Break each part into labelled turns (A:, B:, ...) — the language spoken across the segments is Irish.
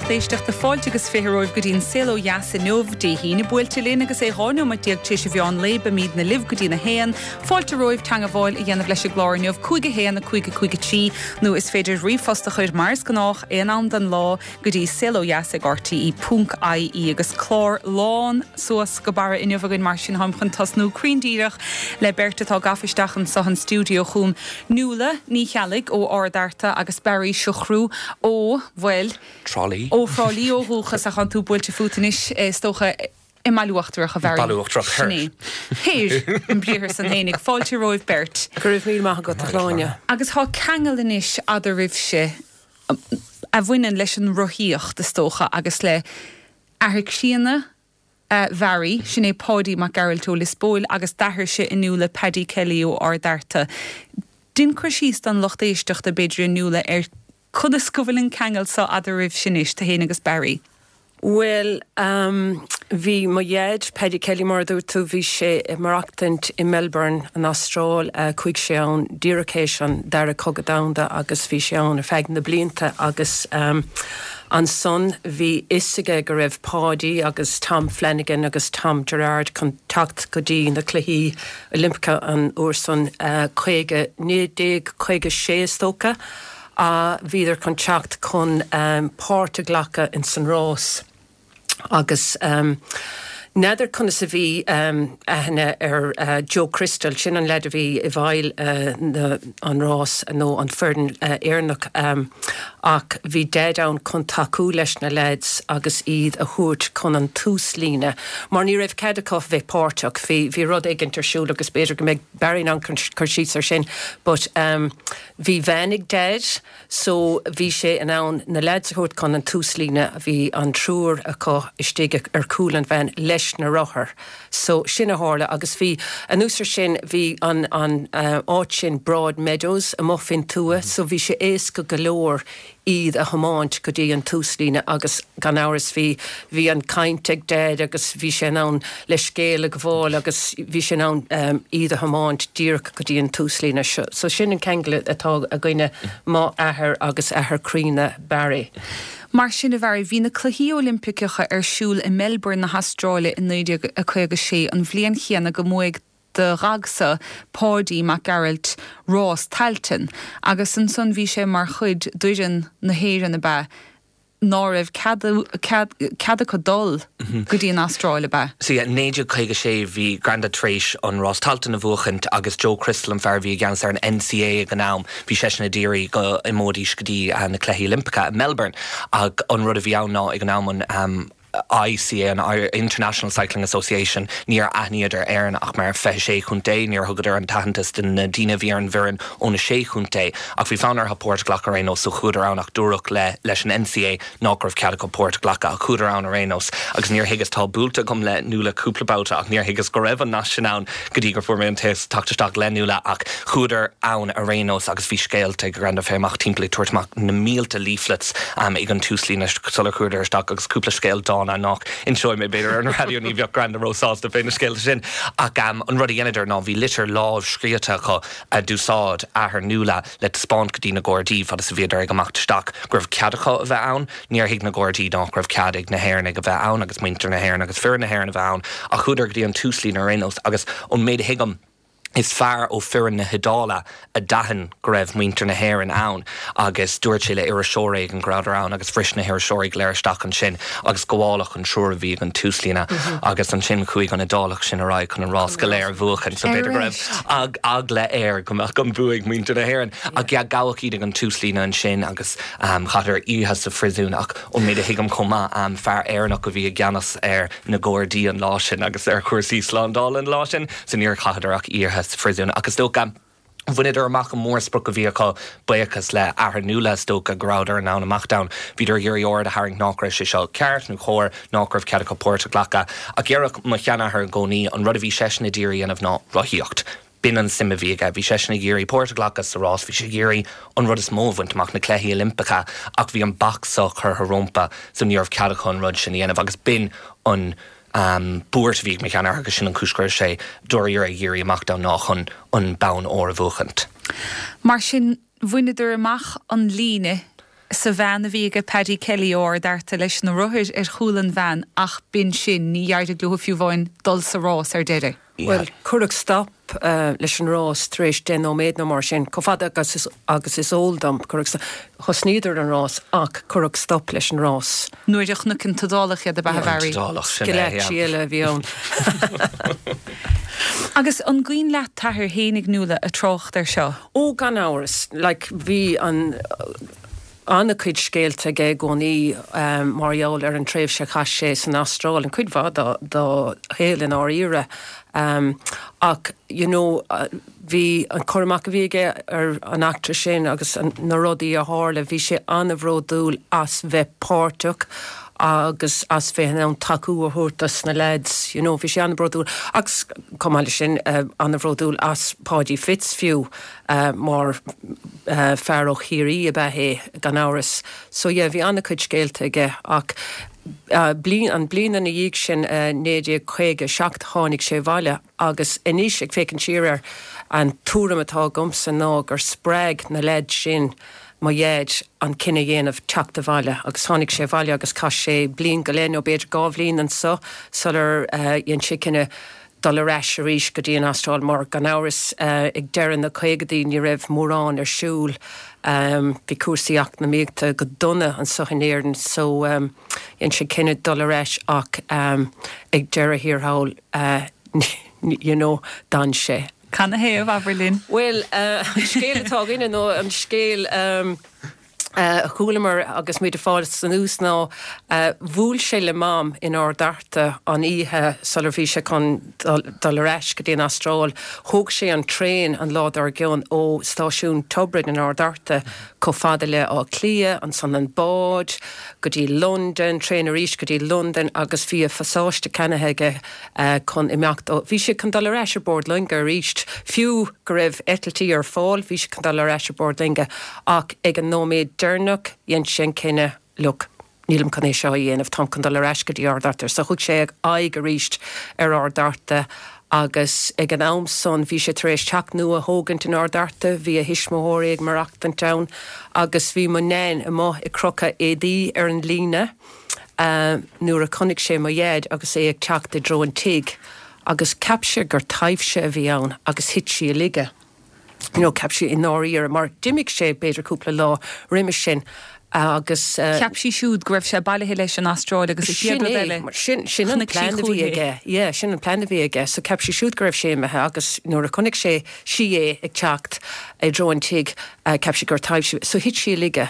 A: lucht éisteachta, fáilte agus 20 romhaibh go dtí an Saol Ó Dheas inniu, Dé hAoine buailte linn agus é 12 nóiméad tar éis an mheán lae, beimidne libh go dtí'n 1. Fáilte romhaibh teangabháil a dhéanamh leis an gclár inniu, 5 1 5 5 3, nó is féidir ríomhphost a chur mar is gnách, aon am den lá, go dtí saolodheas ag rte ponc ie agus clár lán suas go barra inniu againn mar sin táim chun tosnú cruinn díreach le beirt atá gafa isteach anso an stiúideo chugam, Nuala Ní Cheallaigh ó Ard Fhearta agus Barry Siochrú ó, bhuel,
B: Trá Lí.
A: ó Thrá Lí ó dhúchas ach tánn tú buailte fút anois is dócha i mBaile Uachtarach a Bharry.
B: Baile Uachtarach
A: Thoir. Sin é. Thoir, an briathar san fhéinig. Fáilte romhaibh beirt.
C: Go raibh míle maith agat a Shláine.
A: Agus tá ceangal anois eadraibhse a bhaineann leis an rothaíocht, is dócha, agus le athair críonna Bharry, sin é Páidí Mac Gearailt ó Lios Póil, agus d'athairse a Nuala Paddy Kelly ó Ard Fhearta. Dein cur síos don lucht éisteachta, b'fhéidir, a Nuala, ar conas go bhfuil an ceangal so eadraibhse anois, tú fhéin agus Barry.
C: Bhuel, bhí mo dhaid, Paddy Kelly mar a dúirt tú, bhí sé ag maireachtaint i Melbourne, an Astráil. Chuaigh sé ann díreach théis an Dara Cogadh Domhanda agus bhí sé ann ar feadh na blianta agus ansan bhí fhios aige go raibh Páidí agus Tom Flanagan agus Tom Gerard chun teacht go dtí na Cluichí Oilimpeacha an uair san, 50, 1956 is dócha. a bhíodar chun teacht chun páirt a ghlacadh ins an rás agus n'fheadar conas a bhí aithne ar Joe Crystal, sin an leaid a bhí i bhfeighil an rás nó an foireann Éireannach ach bhí Daid ann chun tacú leis na leaids agus iad a thabhairt chun an túslíne mar ní raibh cead acu bheith páirteach, bhí bhí rud éigint ar siúl agus b'fhéidir go mbeidh Barry in ann cur síos ar sin but. Bhí veain ag Daid so bhí sé in ann na leaids a thabhairt chun an túslíne, bhí an triúr acu istigh ar chúl an veain leis na rothair. So sin a tharla agus bhí, anuas ar sin, bhí an an áit sin Broadmeadows amuigh faoin tuath so bhí sé éasca go leor iad a thiomáint go dtí an túslíne agus gan amhras bhí, bhí an caint ag Daid agus bhí sé in ann leithscéal a ghabháil agus bhí sé in ann iad a thiomáint díreach go dtí an túslíne. So sin an ceangal atá againne, mo athair agus athair críonna Barry.
A: Mar sin, a Bharry, bhí na Cluichí Oilimpiceacha ar siúl i Melbourne na hAstráile i 1956, an bhliain chéanna go mbuaigh do Dhaidsa, Páidí Mac Gearailt, rás Tailteann, agus ansan bhí sé mar chuid d'fhoireann na hÉireann, ab ea? ná raibh cead, cead, cead acu dul go dtí an Astráil, ab ea?
B: Sea, 1956 bhí Grandad tar éis an rás Tailteann a bhuachaint agus Joe Crystal an fear a bhí i gceannas ar an NCA ag an am, bhí seisean ag iarraidh go imeoidís go dtí na Cluichí Oilimpeacha i Melbourne ach an rud a bhí ann ná ag an am an ICA, an International Cycling Association, níor aithníodar Éirinn ach mar 26 chontae, níor thugadar an t-aitheantas do na daoine a bhí ar an bhfoireann ó na sé chontae. Ach bhí fonn orthu páirt a ghlacadh ar aon nós so chuadar ann ach dúradh le leis an NCA nach raibh cead acu páirt a ghlacadh ach chuadar ann ar aon nós. Agus níor thuigeas, tá buailte agam le Nuala cúpla babhta ach níor thuigeas go raibh an nasc sin ann go dtí gur fuair mé an téacs teacht isteach le Nuala ach chuadar ann ar aon nós agus bhí scéalta ag Granda fé amach timpeall ag tabhairt amach na mílte leaflets ag an túslíne sular chuadar isteach agus cúpla scéal dána nach inseoidh mé b'fhéidir ar an raidió, ní bheadh Granda róshásta fé na scéalta sin ach an rud a dheineadar ná bhí litir lámhscríofa acu a d'úsáid athair Nuala le taispeáint go dtí na Gardaí fad is a bhíodar ag imeacht isteach go raibh cead acu a bheith ann. Níor thuig na Gardaí nach raibh cead ag na hÉireannaigh a bheith ann agus muintir na hÉireann agus foireann na hÉireann a bheith ann ach chuadar go dtí an túslíne ar aon nós agus ón méid a thuigim is fear ó foireann na hIodáile a d'aithin go raibh muintir na hÉireann ann agus dúirt sé le iriseoir éigin go rabhadar ann agus bhris na hiriseoirí go léir isteach ansin agus gabháladh an triúr a bhí ag an túslíne agus ansin chuaigh an Iodálach sin ar aghaidh chun an rás go léir a bhuachan so b'fhéidir go raibh eagla air go mbeadh an bua ag muintir na hÉireann ach yeah gabhadh iad ag an túslíne ansin agus chaitheadar oíche sa phríosún ach ón méid a thuigim chomh maith fear Éireannach a bhí i gceannas ar na Gardaí an lá sin agus ar chúrsaí slándála an lá sin so níor chaitheadar ach oíche sa phríosún ach is dócha bhaineadar amach an mórsprioc a bhí acu, buíochas le athair Nuala is dócha go rabhadar in ann imeacht ann. Bhíodar ag iarraidh aird a tharraingt nach raibh sé seo ceart nó chóir, nach raibh cead acu páirt a ghlacadh. Ach déarfadh mo sheanathair i gcónaí an rud a bhí seisean ag iarraidh a dhéanamh ná rothaíocht. B'in an suim a bhí aige. Bhí seisean ag iarraidh páirt a ghlacadh sa rás, bhí sé ag iarraidh an rud is mó a bhaint amach, na Cluichí Oilimpeacha, ach bhí an bac seo curtha rompu so ní raibh cead acu an rud sin a dhéanamh agus b'in an buairt a bhí ag mo sheanathair agus sin an chúis go raibh sé dáiríre ag iarraidh imeacht ann ná chun an bonn óir a bhuachaint.
A: Mar sin, bhaineadar amach an líne. sa veain a bhí aige Paddy Kelly ó Ard Fhearta leis na rothair ar chúl an veain ach b'in sin, ní d'éirigh leo fiú amháin dul sa rás ar deireadh.
C: Bhuel, cuireadh stop leis an rás tar éis 10 nóiméad nó mar sin, chomh fada agus agus is eol dom. Cuireadh stop, thosnaíodar an rás ach cuireadh stop leis an rás.
A: Nuair a chonaic an tIodálach iad, ab ea, a Mhary?
B: An tIodálach, sin é, yeah.
C: Schillaci eile a bhí ann.
A: Agus an gcuimhin leat t'athair fhéinig, Nuala, ag trácht air seo?
C: Ó, gan amhras. Like, bhí an, an-chuid scéalta aige i gcónaí mar gheall ar an tréimhse a chaith sé san Astráil, an cuid mhaith dá, dá shaol i ndáiríre. Ach, you know, bhí an cur amach a bhí aige ar an eachtra sin agus na rudaí a tharla, bhí sé an-bhródúil as bheith páirteach agus as bheith in ann tacú a thabhairt dos na leaids, you know, bhí sé an-bhródúil agus chomh maith leis sin, an-bhródúil as Páidí Fitz fiú mar fear ó Chiarraí ab ea é gan amhras. So yeah, bhí an-chuid scéalta aige ach bliain, an bliain ina dhiaidh sin, 1957, tháinig sé abhaile agus anois ag féachaint siar air, an tuairim atá agamsa ná gur spreag na leaids sin mo dhaid an cinneadh a dhéanamh teacht abhaile agus tháinig sé abhaile agus chaith sé bliain go leith nó b'fhéidir 2 bhliain anso sular dhein sé cinneadh dul ar ais arís go dtí an Astráil mar gan amhras ag deireadh na caogadaí ní raibh mórán ar siúl. Bhí cúrsaí eacnamaíochta go dona anso in Éirinn so dhein sé cinneadh dul ar ais ach ag deireadh thiar thall you know d'fhan sé.
A: Canathaobh, abair linn?
C: Bhuel, an scéal atá againne nó an scéal a chualamar agus muid ag fás anuas ná bhuail sé le Mam in Ard Fhearta an oíche sular bhí sé chun dul ar ais go dtí an Astráil. Thóg sé an traein an lá dár gcionn ó stáisiún Tiobraid in Ard Fhearta chomh fada le Áth Cliath, ansan an bád go dtí Londain, traein arís go dtí Londain agus bhí a phasáiste ceannaithe aige chun imeacht ó, bhí sé chun dul ar ais ar bord loinge arís, fiú go raibh eitiltí ar fáil, bhí sé chun dul ar ais ar bord loinge ach ag an nóiméad deireanach dhein sé an cinneadh, look, nílim chun é seo a dhéanamh, táim chun dul ar ais go dtí Ard Fhearta. So chuaigh sé aghaidh arís ar Ard Fhearta agus ag an am san bhí sé tar éis teach nua a thógaint in Ard Fhearta, bhí a thuismitheoirí ag maireachtaint ann agus bhí mo Nain amuigh ag crochadh éadaí ar an líne. nuair a chonaic sé mo Dhaid agus é ag teacht i dtreo an tigh agus cheap sé gur taibhse a bhí ann agus thit sí i laige. You know, cheap sí i ndáiríre mar d'imigh sé b'fhéidir cúpla lá roimis sin agus.
A: Cheap sí siúd go raibh sé bailithe leis an Astráil agus an chéad rud eile,
C: Sin é, sin an plean a bhí aige, yeah, sin an plean a bhí aige. So cheap sí siúd go raibh sé imithe agus nuair a chonaic sé, sí é ag teacht i dtreo an tigh, Cheap sí gur taibhse, so thit sí i laige.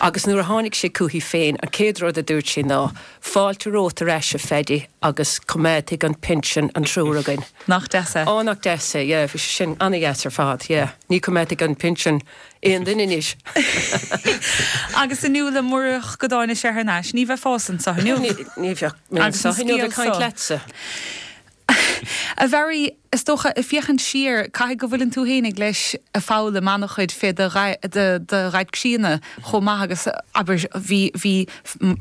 C: Agus nuair a tháinig sé chuici féin, an chéad rud a dúirt sé ná, Fáilte romhat ar ais, a Phaddy, agus coimeádfaidh an pinsean an triúr againn.
A: Nach deas
C: é? Á, nach deas é, yeah, bhí sé sin ana-dheas ar fad, yeah. Ní choimeádfaidh an pinsean aon duine anois.
A: Agus a Nuala, murach go dtáinig sé thar n-ais, ní bheifeása anseo inniu.
C: Ní bheadh mé anseo inniu ag caint leatsa.
A: A Mhary, is dócha, ag féachaint siar, caithfidh go bhfuileann tú fhéinig leis ag foghlaim an-chuid fé do dhaid críonna chomh maith agus, abair, bhí, bhí,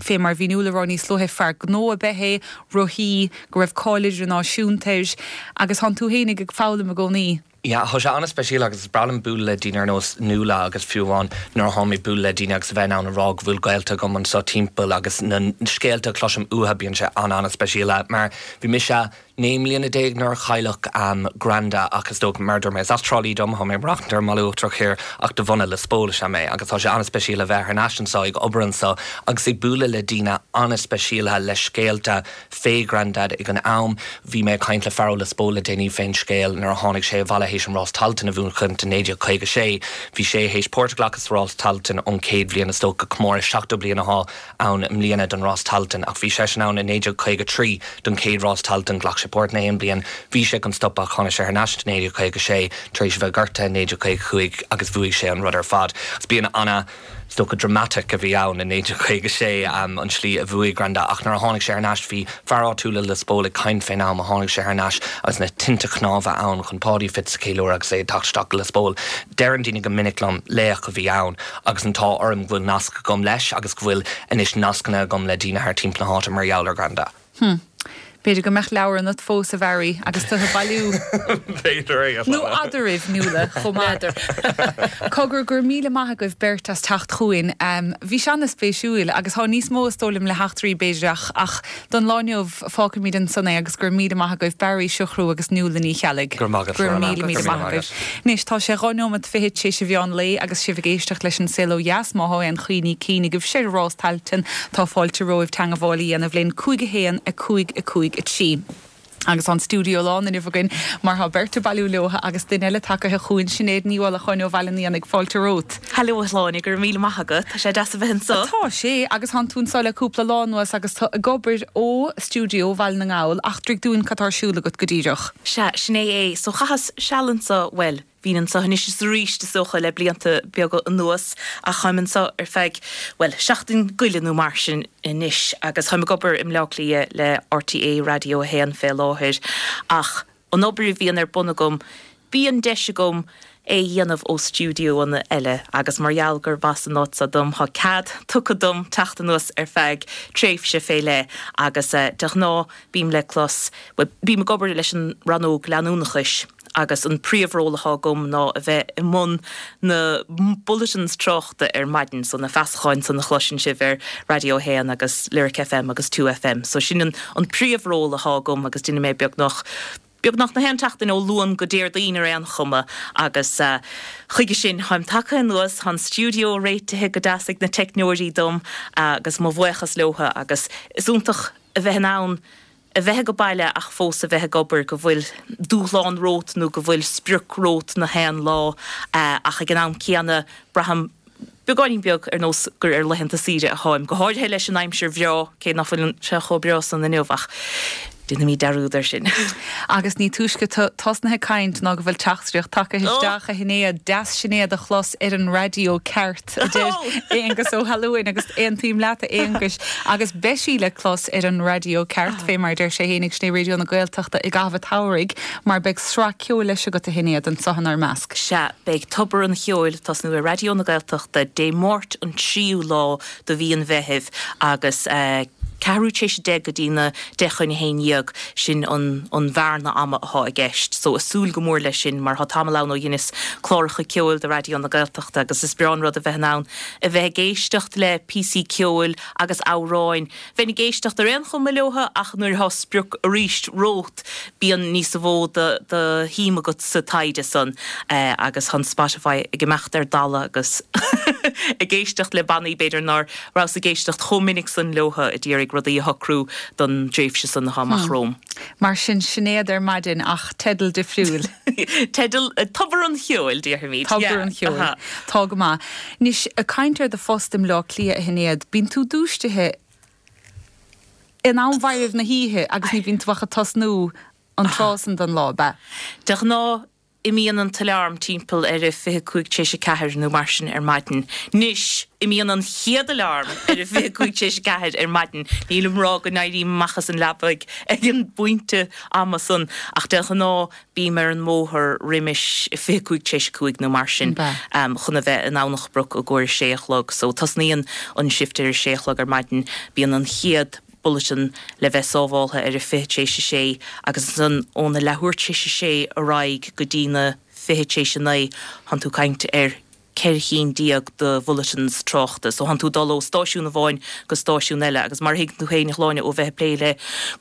A: fé mar a bhí Nuala ag rá níos luaithe, fear gnó ab ea é, rothaí, go raibh cáil idirnáisiúnta air agus thánn tú fhéinig ag foghlaim i gcónaí.
B: Yeah, tá sé an-speisialta agus is breá liom bualadh le daoine ar nós Nuala agus fiú amháin nuair a tháim ag bualadh le daoine agus a bheith in ann a rá go bhfuil gaolta agam anseo timpeall agus na scéalta a chloisim uathu bíonn sé an-an-speisialta mar bhí mise 19 mbliana nuair a cailleadh Granda ach is dócha mar a dúirt mé is as Trá Lí dom, tá mé ag maireachtaint ar an mBaile Uachtarach Thiar ach de bhunadh Lios Póil is ea mé agus tá sé an-speisialta a bheith thar n-ais anseo ag obair anseo agus ag bualadh le daoine an-speisialta le scéalta fé Grandad ag an am. Bhí mé ag caint le fear ó Lios Póil le déanaí fén scéal nuair a tháinig sé abhaile théis an Rás Tailteann a bhuachaint i 1956. Bhí sé théis páirt a ghlacadh sa Rás Tailteann ón chéad bhliain is dócha, comóradh 70 bliain athá ann i mbliana don Rás Tailteann ach bhí seisean ann i 1953 don chéad Rás Tailteann. Ghlac sé páirt in aon bliain. Bhí sé chun stopadh ach tháinig sé thar n-ais i 1956 tar éis a bheith gortaithe i 1955 agus bhuaigh sé an rud ar fad. Agus bíonn ana. Is dócha dramatic a bhí ann i 1956, an tslí a bhuaigh Granda ach nuair a tháinig sé thar n-ais bhí fear áitiúil i Lios Póil ag caint fén am a tháinig sé thar n-ais agus na tinte cnámha ann chun Páidí Fitz a cheiliúradh agus é ag teacht isteach go Lios Póil. Deireann daoine go minic liom laoch a bhí ann agus an t-ádh orm go bhfuil nasc agam leis agus go bhfuil anois nascanna agam le daoine thar timpeall na háite mar gheall ar Granda.
A: Hm. B'fhéidir go mbeadh leabhar ionat fós, a Bharry, agus tú ag bailiú.
D: B'fhéidir é, a
A: Nó eadraibh, Nuala, chomh maith. N'fheadar. Cogar, go raibh míle maith agaibh beirt as teacht chugainn. Bhí sé ana-spéisiúil agus thá níos mó is dóigh liom le heachtraí b'fhéidir ach ach don lá inniu fágfaimid ansan é agus go raibh míle maith agaibh Barry Siochrú agus Nuala Ní Cheallaigh.
B: Go raibh maith agat,
A: Go raibh míle míle maith agaibh. Anois tá sé 2 nóimeat fichead tar éis an mheán lae agus sibh ag éisteacht leis an Saol Ó Dheas. Má thá aon chuimhní cinn agaibhse ar Rás Tailteann tá fáilte romhaibh teangabháil a dhéanamh linn 5 1 5 5 3. Agus tá an stiúideo lán inniu againn mar tá beirt ag bailiú leotha agus duine eile tagaithe chugainn, Sinéad Ní Uallacháin ó Bhaile an Éanaigh. Fáilte romhat.
E: Hello a Shláine, go raibh míle maith agat. Tá sé deas a bheith anseo.
A: Tá sé, agus tánn tú anseo le cúpla lá anuas agus tú ag obair ó stiúideo Bhaile na nGall. Eachtraigh dúinn cad tá ar siúl agat go díreach.
E: Sea, sin é é. So chaitheas seal anseo, bhuel, Bhínn anseo anois is arís, is dócha, le blianta beaga anuas, ach táim anseo ar feadh, bhuel, seachtain go leith nó mar sin anois, agus táim ag obair i mBleá Cliath le RTÉ Raidió 1 fé láthair, ach an obair a bhíonn ar bun agam, bíonn deis agam é a dhéanamh ó stiúideoanna eile, agus mar gheall gurb as an áit seo dom, tá cead tugtha dom teacht anuas ar feadh tréimhse fé leith, agus de ghnáth bím le clos, bhuel, bím ag obair leis an rannóg leanúnachais. agus an príomhról atá agam ná a bheith i mbun na bulletins tráchta ar maidin, so na feasacháin san a chloiseann sibh ar Raidió 1 agus Lyric FM agus 2FM. So sin an an príomhról atá agam agus déanfaidh mé beagnach beagnach na haon tseachtain ó Luan go Déardaoin ar aon chuma agus chuige sin táim tagtha anuas, tá an stiúideo réitithe go deas ag na teicneoirí dom agus mo bhuíochas leotha agus is iontach a bheith in ann a bheith age baile ach fós a bheith ag obair, go bhfuil dúshlán romhat nó go bhfuil sprioc romhat na haon lá ach ag an am céanna braithim beagáinín beag ar nós gur ar laethanta saoire atháim, go háirithe leis an aimsir bhreá, cé nach bhfuil sé chomh breá san inniu ach déanfaimid dearúd air sin.
A: Agus ní túisce tú tosnaithe ag caint ná go bhfuil teachtaireacht tagtha isteach, a Shinéad, deas Sinéad a chlos ar an raidió ceart. a deir Aonghus Ó hAlúin agus aontaím leat a Aonghuis agus beidh sí le clos ar an raidió ceart fé mar a deir sé fhéinig, sin é Raidió na Gaeltachta i gcaitheamh an tsamhraidh mar beidh sraith ceoil leis agat a Shinéad anseo inár measc.
E: Sea, beidh Tobar an Cheoil ag tosnú ar Raidió na Gaeltachta Dé Máirt an 3ú lá de mhí an Mheithimh agus ceathrú tar éis a 10 go dtí na 10 chun a 11, sin an an bhearna ama athá i gceist. So ag súil go mór leis sin mar thá tamall ann ó dheineas cláracha ceoil do Raidió na Gaeltachta agus is breá an rud a bheith in ann a bheith ag éisteacht le píosaí ceoil agus amhráin. Bheinn ag éisteacht ar aon chuma leotha ach nuair athá sprioc arís romhat bíonn níos mó de de shuim agat sa taighde san agus thá an Spotify ag imeacht ar dalladh agus ag éisteacht le bannaí b'fhéidir nár rabhas ag éisteacht chomh minic san leotha a d'iarraidh rudaí a shocrú don dtréimhse san athá amach romham.
A: Mar sin, Sinéad ar maidin ach teideal difriúil.
E: Teideal, Tobar an Cheoil, déarfaimid.
A: Tobar an Cheoil. Tá go maith. Anois, ag caint ar do phost i mBleá Cliath, a Shinéad, bíonn tú dúisithe in am mhairbh na hoíche agus ní bhíonn tú ach ag tosnú an tráth san den lá, ab ea?
E: De ghnáth, Imíonn an t-alarm timpeall ar a 25 tar éis a 4 nó mar sin ar maidin. Anois, imíonn an chéad alarm ar a 25 tar éis a 4 ar maidin. Nílim ag rá go n-éirím amach as an leaba ag an bpointe ama san, ach de ghnáth bím ar an mbóthar roimis 25 tar éis a 5 nó mar sin chun a bheith in Domhnach Broc i gcomhair a sé a chlog. So tosnaíonn an shift ar a sé a chlog ar maidin. Bíonn an chéad. bulletin le bheith sábháltha ar a 20 tar éis a sé agus ansan óna leathuair tar éis a sé ar aghaidh go dtí na 20 tar éis a 9 thánn tú ag caint ar 14 chinn de bhulletins tráchta. So thánn tú ag dul ó stáisiún amháin go stáisiún eile agus mar a thuigeann tú féin a Shláine ó bheith ag plé le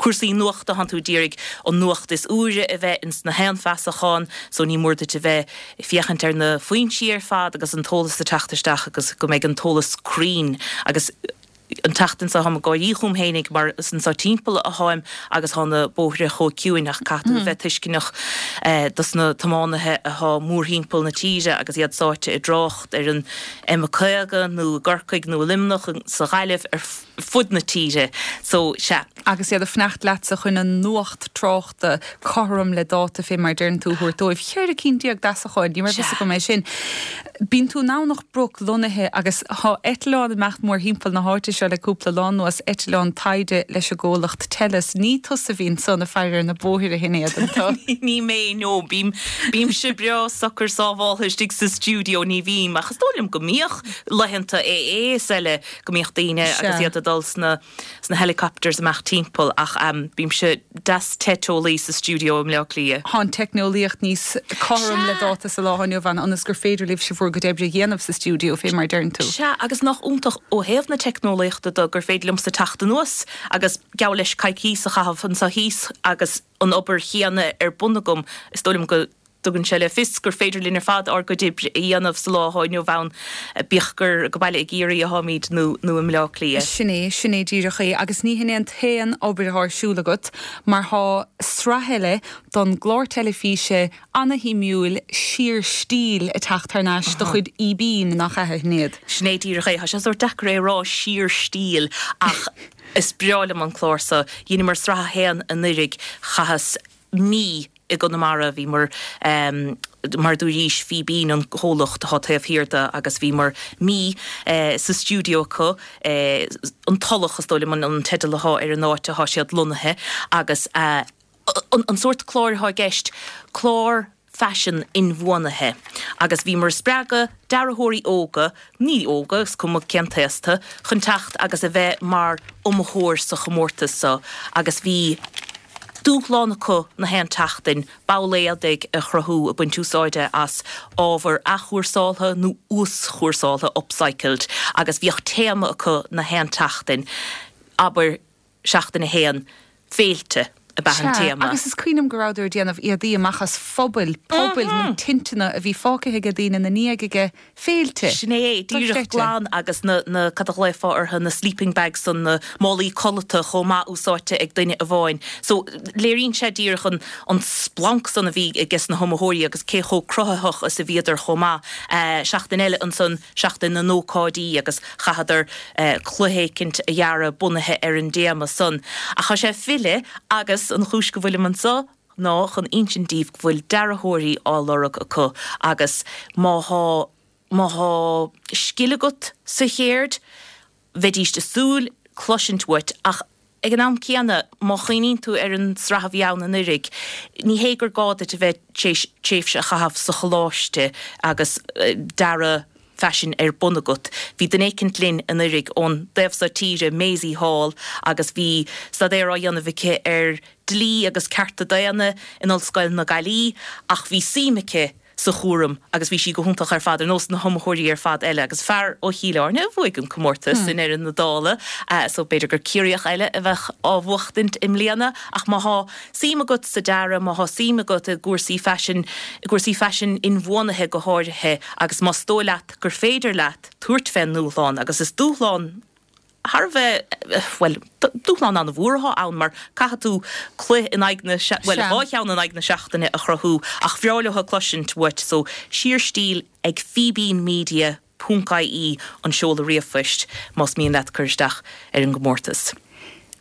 E: cúrsaí nuachta thánn tú ag iarraidh an nuacht is úire a bheith ins na haon feasachán so ní mór duit a bheith ag féachaint ar na foinsí ar fad agus an t-eolas ag teacht isteach agus go mbeidh an t-eolas cruinn agus An tseachtain seo táim ag gáirí chugam fhéinig mar is anso timpeall atháim agus thá na bóithre chomh ciúin ach caithfidh tú a bheith tuisceanach dos na tiománaithe athá mórthimpeall na tíre agus iad sáite i dtrácht ar an M50 nó i gCorcaigh nó i Luimneach, sa Ghaillimh, ar fud na tíre. So, sea.
A: Agus iad ag fanacht leatsa chun an nuacht tráchta cothrom le dáta fé mar a deireann tú a thabhairt dóibh. 14 cinn d'fheasacháin, ní raibh fhios agam é sin. Bíonn tú i nDomhnach Broc lonnaithe agus thá eitleán ag imeacht mórthimpeall na háite seo. seo le cúpla lá anuas, eitleán taighde leis an gcomhlacht Tellus. Ní tusa a bhí ansan ag faire ar na bóithre, a Shinéad, an tú?
E: Ní mé, no. Bím, bímse breá socair sábháltha istigh sa stiúideo, ní bhím, ach is dóigh liom go mbíodh laethanta AA is eile, go mbíodh daoine agus iad ag dul sna, sna helicopters amach timpeall ach bímse deas te teolaí sa stiúideo i mBleá Cliath.
A: Tá an teicneolaíocht níos cothrom le dáta sa lá atá inniu ann ionas gur féidir libhse bhur gcuid oibre a dhéanamh sa stiúideo, fé mar a deireann tú.
E: Sea, agus nach iontach ó thaobh na teicneolaíochta de gur féidir liomsa teacht anuas agus gabh leis coicíos a chaitheamh anseo thíos agus an obair chéanna ar bun agam. Is dóigh liom go dtugann sé le fios gur féidir linn ar fad ár gcuid oibre a dhéanamh sa lá atá inniu ann, bíodh gur go baile i gCiarraí atáimid nó nó i mBleá Cliath.
A: Sin é, sin é díreach é. Agus ní hin é an t-aon obair atá ar siúl agat, mar tá sraith eile don gclár teilifíse ana-shuimiúil Síorstíl ag teacht thar n-ais de chuid Fhíbín, nach ea, a Shinéad?
E: Sin é díreach é. Tá sé sórt deacair é a rá, Síorstíl, ach is breá liom an clár so. Dheineamar sraith a haon anuiridh, chaitheas mí i gConamara. Bhíomar, mar a dúraís, Fíbín an comhlacht atá taobh thiar de agus bhíomar mí sa stiúideo acu, An Tulach is dóigh liom an teideal atá ar an áit atá siad lonnaithe agus an sórt cláir atá i gceist, clár faisean inbhuanaithe agus bhíomar ag spreagadh dearthóirí óga, ní óga, is cuma cén t-aos tú, chun teacht agus a bheith mar iomaitheoir sa chomórtas so agus bhí dúshlán acu na haon tseachtain ball éadaigh a chruthú ag baint úsáide as ábhar athchúrsáltha nó uaschúrsáltha, upcycled, agus bhíodh téama acu na haon tseachtain, abair seachtain a haon, féilte ab ea an
A: Sea,
E: téama.
A: agus is cuimhin liom go rabhadar ag déanamh éadaí amach as phubaill, pubaill nó tinteanna a bhí fágtha aige daoine ina ndiaidh aige féilte.
E: Sin é, díreach
A: Dochreidte.
E: glan agus na, na, cad a ghlaofá orthu, na sleeping bags san, na málaí codlata chomh maith úsáidte ag duine amháin. So, léiríonn sé díreach an, an splanc san a bhí ages na hiomaitheoirí agus cé chomh cruthaitheach is a bhíodar chomh maith. Seachtain eile ansan, seachtain na n-ócáidí agus chaitheadar cluiche éicint a dhearadh bunaithe ar an dtéama san. Ach tá sé ag filleadh agus an chúis go bhfuilim anso ná chun insint daoibh go bhfuil dearthóirí á lorg acu agus má thá má thá scil agat sa chéird, bheidíst ag súil cloisint uait ach ag an am céanna má chuimhníonn tú ar an sraith a bhí ann anuiridh, ní hé gur gá duit a bheith tar éis tréimhse a chaitheamh sa choláiste agus dearadh faisin ar bun agat. Bhí duine éicint linn anuiridh ón dtaobh so tíre, Maisie Hall, agus bhí staidéar á dhéanamh aici ar dlí agus cearta daonna in Ollscoil na Gaillimhe ach bhí suim aici sa chúram agus bhí sí go hiontach ar fad, ar nós na hiomaitheoirí ar fad eile. Agus fear ó Chill Airne a bhuaigh an comórtas i ndeireadh na dála, so b'fhéidir gur Ciarraíoch eile a bheadh á bhuachtaint i mbliana. Ach má thá suim agat sa dearadh, má thá suim agat i gcúrsaí faisin, i gcúrsaí faisin inbhuanaithe go háirithe, agus más dóigh leat gur féidir leat tabhairt fén ndúshlán, agus is dúshlán thar a bheith, bhuel, dúshlán an-mhór atá ann mar caithfidh tú cluiche in aghaidh na, bhuel, dhá cheann in aghaidh na seachtaine a chruthú ach bhreá leo cloisint uait so síorstíl ag fíbínmedia ponc ie an seoladh ríomhphoist más mian leat cur isteach ar an gcomórtas.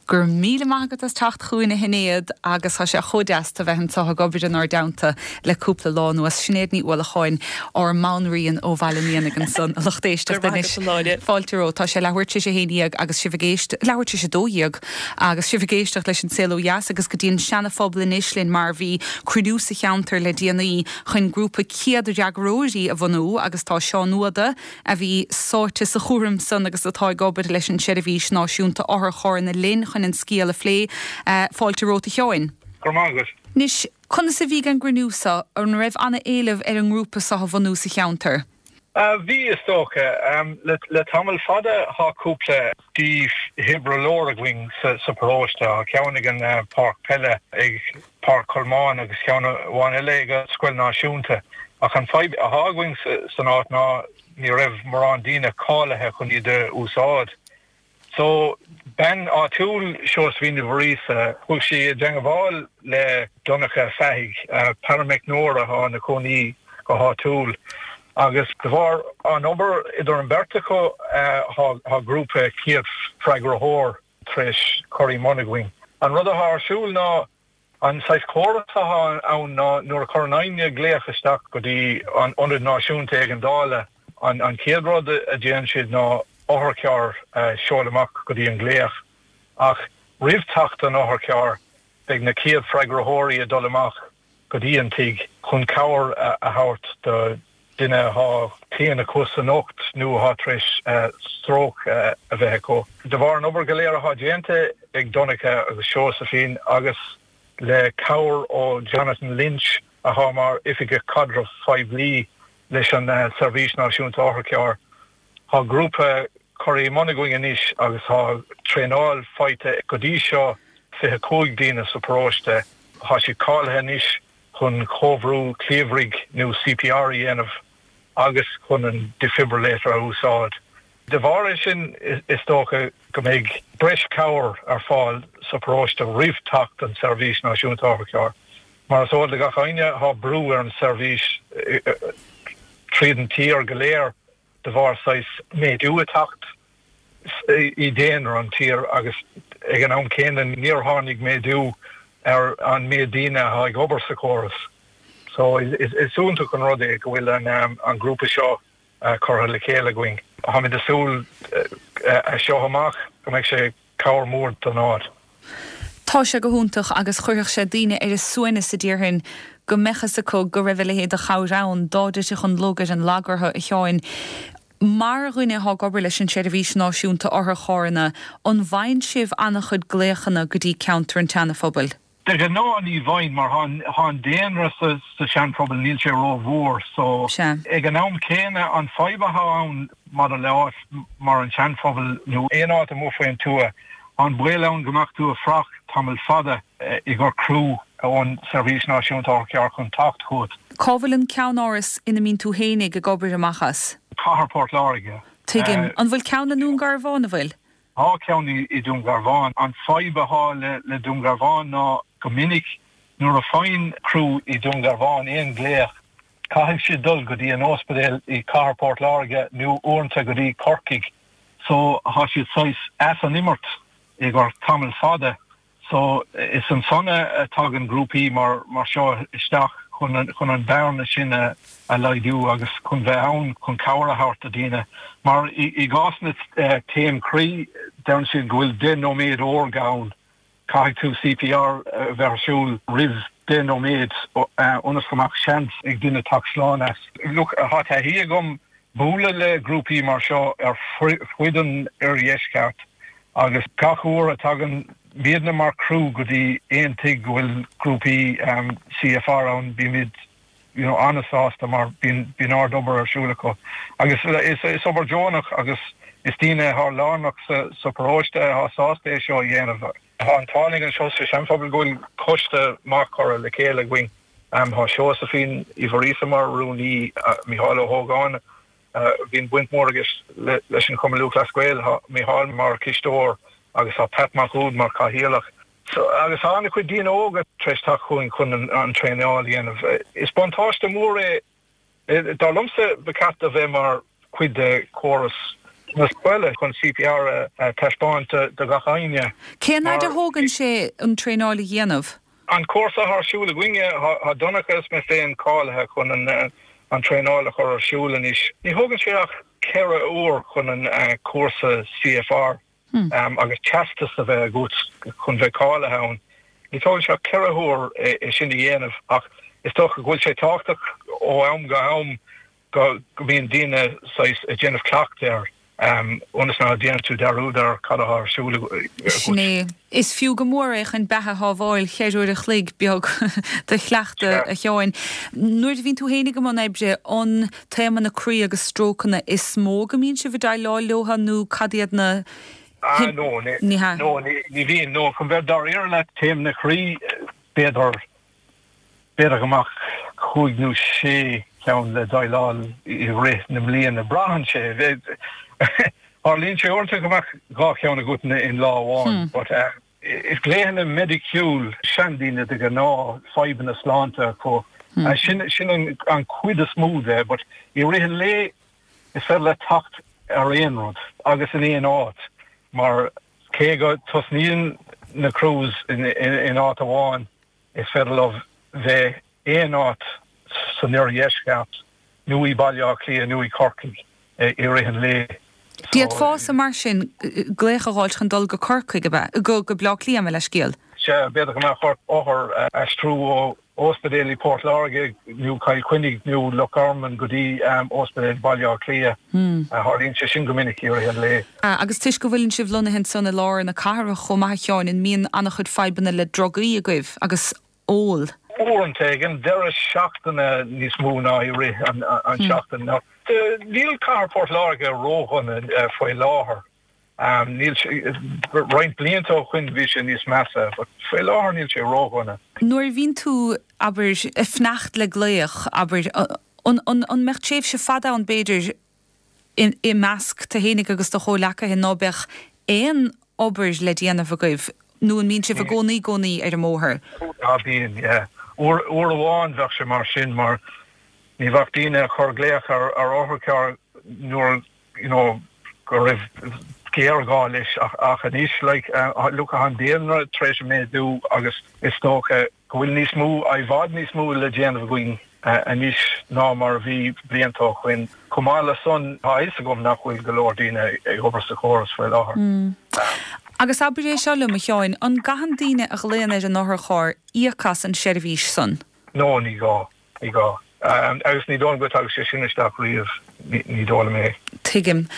A: Go raibh míle maith agat as teacht chugainn a Shinéad agus tá sé chomh deas tú a bheith anseo ag obair inár dteannta le cúpla lá anuas. Sinéad Ní Uallacháin, ár mbanríon ó Bhaile an Éanaigh ansan, a lucht éisteachta anois. Fáilte romhat. Tá sé leathuair tar éis a haon dhéag agus sibh ag éist, leathuair tar éis a dó dhéag agus sibh ag éisteacht leis an Saol Ó Dheas agus go dtí an Seana-Phobal anois linn mar bhí cruinniú sa cheantar le déanaí chun grúpa céad fhreagróirí a bhunú agus tá Seán Ó Uada, a bhí sáite sa chúram san agus atá ag obair leis an tSeirbhís Náisiúnta Otharcharranna linn chun an scéal a phlé. Fáilte romhat a Sheáin.
D: Go raibh maith agat.
A: Anois, conas a bhí an gcruinniú so? An raibh ana-éileamh ar an ngrúpa so a bhunú sa cheantar?
D: Bhí, is dócha. Le tamall fada thá cúpla dífhibrileoir againn sa paróiste. Thá ceann ag an páirc peile ag Páirc Cholmáin agus ceann amháin eile ag an Scoil Náisiúnta. Ach an fadhb athá againn san áit ná ní raibh morán daoine cáilithe chun iad a úsáid. So, bean áitiúil, Seosaimhín Ní Mhuiríosa, chuaigh sí i dteangabháil le Donncha Fathaigh, parameicneoir athá ina chónaí go háitiúil. Agus de bharr an obair idir an bheirt acu, thá grúpa céad freagraitheoir tar éis cur i mbun againn. An rud athá ar siúl ná, an saghas córas athá ann ná nuair a chuireann éinne glaoch isteach go dtí an Ionad Náisiúnta Éigeandála, an chéad rud a déanann siad ná. otharcharr a sheoladh amach go dtí an glaoch. Ach roimh teacht an otharchairr, beidh na chéad freagraitheoirí ag dul amach go dtí an tigh chun cabhair a thabhairt do duine atá claíonn acu san ucht nó atá tar éis stróc a bheith acu. De bharr an obair go léir atá déanta ag Donncha agus Seosaimhín agus le cabhair ó Jonathan Lynch atá mar Oifigeach Caidrimh Phoiblí leis an Seirbhís Náisiúnta Otharcharr, Tá grúpa curtha i mbun againn anois agus tá traenáil faighte go dtí seo 25 daoine sa paróiste. Tá siad cáilithe anois chun comhbhrú cliabhraigh nó CPR a dhéanamh agus chun an defibrillator a úsáid. De bharr é sin is dócha go mbeidh breis cabhair ar fáil sa paróiste roimh teacht an tSeirbhís Náisiúnta Otharcharr. Mar is eol do gach éinne tá brú ar an seirbhís tríd an tír go léir de bharr saghas méadú ag teacht i daonra an tír agus ag an am céanna níor tháinig méadú ar an méid daoine atá ag obair sa chóras. So is iontach an rud é go bhfuil an grúpa seo curtha le chéile againn. Táimid ag súil as seo amach go mbeidh sé cabhair mhór don áit.
A: Tá sé go hiontach agus chuirfeadh sé daoine ar a suaimhneas a déarfainn go mbeadh fhios acu go raibh a leithéid de chabhair ann dá dtitfeadh an lug ar an lag orthu, a Sheáin. Mar dhuine atá ag obair leis an tSeirbhís Náisiúnta Otharcharranna, an bhfaigheann sibh an-chuid glaochanna go dtí ceantar an tSeana-Phobail?
D: De ghnáth ní bhfaigheann mar thá an daonra sa Seanphobal níl sé ró mhór so ag an am céanna an fadhb athá ann maidir le áit mar an Seanphobal nó aon áit amuigh faoin tuath thá an baol ann go mbeadh tú ag fanacht tamall fada i gcomhair criú ón Seirbhís Náisiúnta Otharcharr chun teacht chugat.
A: Cá bhfuil an ceannáras ina mbíonn tú fhéinig ag obair amach as?
D: Cathair Port Láirge.
A: Tuigim. An bhfuil ceann i nDún Garbhán, an bhfuil?
D: Tá ceann i Dún Garbhán. An fadhb athá le Dún Garbhán ná go minic nuair a faigheann criú i Dún Garbhán aon glaoch caithfidh siad dul go dtí an óispidéal i Cathair Port Láirge nó uaireanta go dtí Corcaigh so thá siad saghas as an imirt i gcomhair tamall fada. So, is ansan a tagann grúpaí mar seo isteach chun an bearna sin a laghdú agus chun bheith ann chun cabhair a thabhairt do daoine. Mar i gcás na taom croí, deireann siad go bhfuil 10 nóiméad órga ann. Caithfidh tú CPR a bheith ar siúl roimh 10 nóiméad ionas go mbeadh seans ag duine teacht slán as. Look, tá taithí agam bualadh le grúpaí mar seo ar fuid an oirdheisceart Agus gach uair a tagann muidne mar criú go dtí aon tigh go bhfuil grúpaí CFR ann, bímid you know an-sásta mar bíonn bíonn ard-obair ar siúl acu. Agus is is obair deonach agus is daoine atá lárnach sa sa paróiste atá sásta é seo a dhéanamh. Tá an t-ádh linn anseo sa Seanphobal go bhfuil coiste maith curtha le chéile againn. Tá Seosaimhín Uí Mhuiríosa mar rúnaí, Micheál Ó hÓgáin, Bíonn baint mhór aige leis an Chumann Lúthchleas Gael. Tá Micheál mar chisteoir agus tá Pat Mac Uaid mar chathaoirleach. Agus tá an-chuid daoine óga tar éis teacht chugainn chun an traenáil a dhéanamh. Is buntáiste mór é. Dar liomsa ba cheart a bheith mar chuid de chóras na scoile chun CPR a taispeáint do gach éinne.
A: Cén fhaid a thógann sé an traenáil a dhéanamh?
D: An cúrsa atá ar siúl againne, tá Donncha is mé féin cáilithe chun an traenáil a chur ar siúl anois. Ní thógann sé ach 4 uair chun an cúrsa CFR agus teastas a bheith agat chun bheith cáilithe ann. Ní thógann sé ach 4 huair é sin a dhéanamh ach is dócha go bhfuil sé tábhachtach ó am go ham go mbíonn daoine saghas ag déanamh cleachtadh air ionas ná déanann tú dearúd ar cad atá ar siúl agat.
A: Sin é. Is fiú go mór é chun beatha a shábháil, cheithre uair a chloig beag de chleachtadh, a Sheáin. Nuair a bhíonn tú féin ag i mbun oibre, an taomanna croí agus strócanna is mó go mbíonn sibh ag déileáil leo nó cad iad na
D: Ah, no, ní hea. No, ní bhíonn. No, chun bheith dáiríre leat, taomanna croí, b'fhéidir B'fhéidir go mbeadh chúig nó sé cheann le déileáil i rith na mbliana. Braitheann sé. Tarlaíonn sé uaireanta go mbeadh 2 cheann agat in lá amháin. But is glaochanna meidiciúil, seandaoine de ghnáth, fadhbanna sláinte acu. Sin sin an chuid is mó de. But i rith an lae is féidir leat teacht ar aon rud agus in aon áit mar cé go tosnaíonn na crews in áit amháin, Is féidir leo bheith aon áit san oirdheisceart nó i Baile Átha Cliath nó i Corcaigh i rith an lae.
A: D'fhéadfása mar sin glaoch a dh'fháilt chun dul go Corcaigh, ab ea? Go Baile Átha Cliath, mo leithscéal.
D: Sea, b'fhéidir go mbeadh ort othar a aistriú ó ospidéal i Port Láirge nó Cill Chainnigh nó Loch Garman go dtí ospidéal Baile Átha Cliath. Tharlaíonn sé sin go minic i rith an lae.
A: Agus toisc go bhfuileann sibh lonnaithe ansan i lár na cathrach chomh maith a Sheáin, an mbíonn an-chuid fadhbanna le drugaí agaibh agus ól?
D: Uaireanta ag an deireadh seachtaine níos mó ná i rith an tseachtain. Níl cathair Port Láirge ródhona faoi láthair. Níl sé, roinnt blianta ó shoin bhí sé níos measa, but faoi láthair níl sé ródhona.
A: Nuair a bhíonn tú, abair, ag fanacht le glaoch, abair, an, an, an mbeadh tréimhse fada ann b'fhéidir i, i measc tú fhéinig agus do chomhleacaithe ná beadh aon obair le déanamh agaibh nó an mbíonn sibh i gcónaí, gcónaí ar an mbóthar?
D: Ah bíonn, yeah. Uair, uair amháin bheadh sé mar sin mar ní bheadh daoine ag cur glaoch ar, ar otharcharr nuair you know, go raibh géarghá leis ach anois like, look tá an daonra tar éis méadú agus is dócha go bhfuil níos mó, i bhfad níos mó le déanamh againn anois ná mar a bhí blianta ó shoin. Chomh maith le san, tá a fhios agam nach bhfuil go leor daoine ag obair sa chóras faoi láthair.
A: Agus abair é seo liom, a Sheáin, an gcaitheann daoine a ghlaonn ar an otharcharr íoc as an seirbhís san?
D: No, ní gá. Ní gá. Agus ní dóigh liom go dtagadh sé sin isteach riamh, ní dóigh liom é.
A: Tuigim.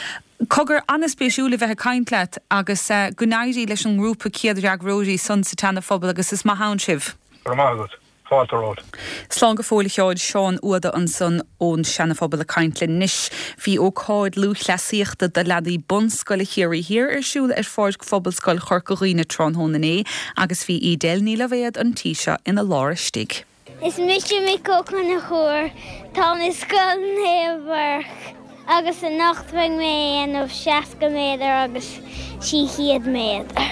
A: Cogar, an-spéisiúil a bheith ag caint leat agus go n-éirí leis an ngrúpa céad-fhreagróirí san sa tSeana-Phobal agus is maith ann sibh.
D: Go raibh maith agat. Fáilte romhat.
A: Slán go fóill a Sheáin, Seán Uada ansan ón Seana-Phobal ag caint linn. Anois, bhí ócáid lúthchleasaíochta do leanaí bunscoile Chiarraí Thiar ar siúl ar pháirc Phobalscoil Chorca Dhuibhne tráthnóna inné agus bhí Edel Ní Loibhéad an tí seo ina lár istigh.
F: Is mise Mick Ó Conchúir. Táim i Scoil Naomh Mhuire agus anocht beidh mé ag déanamh 60 méadar agus 300 méadar.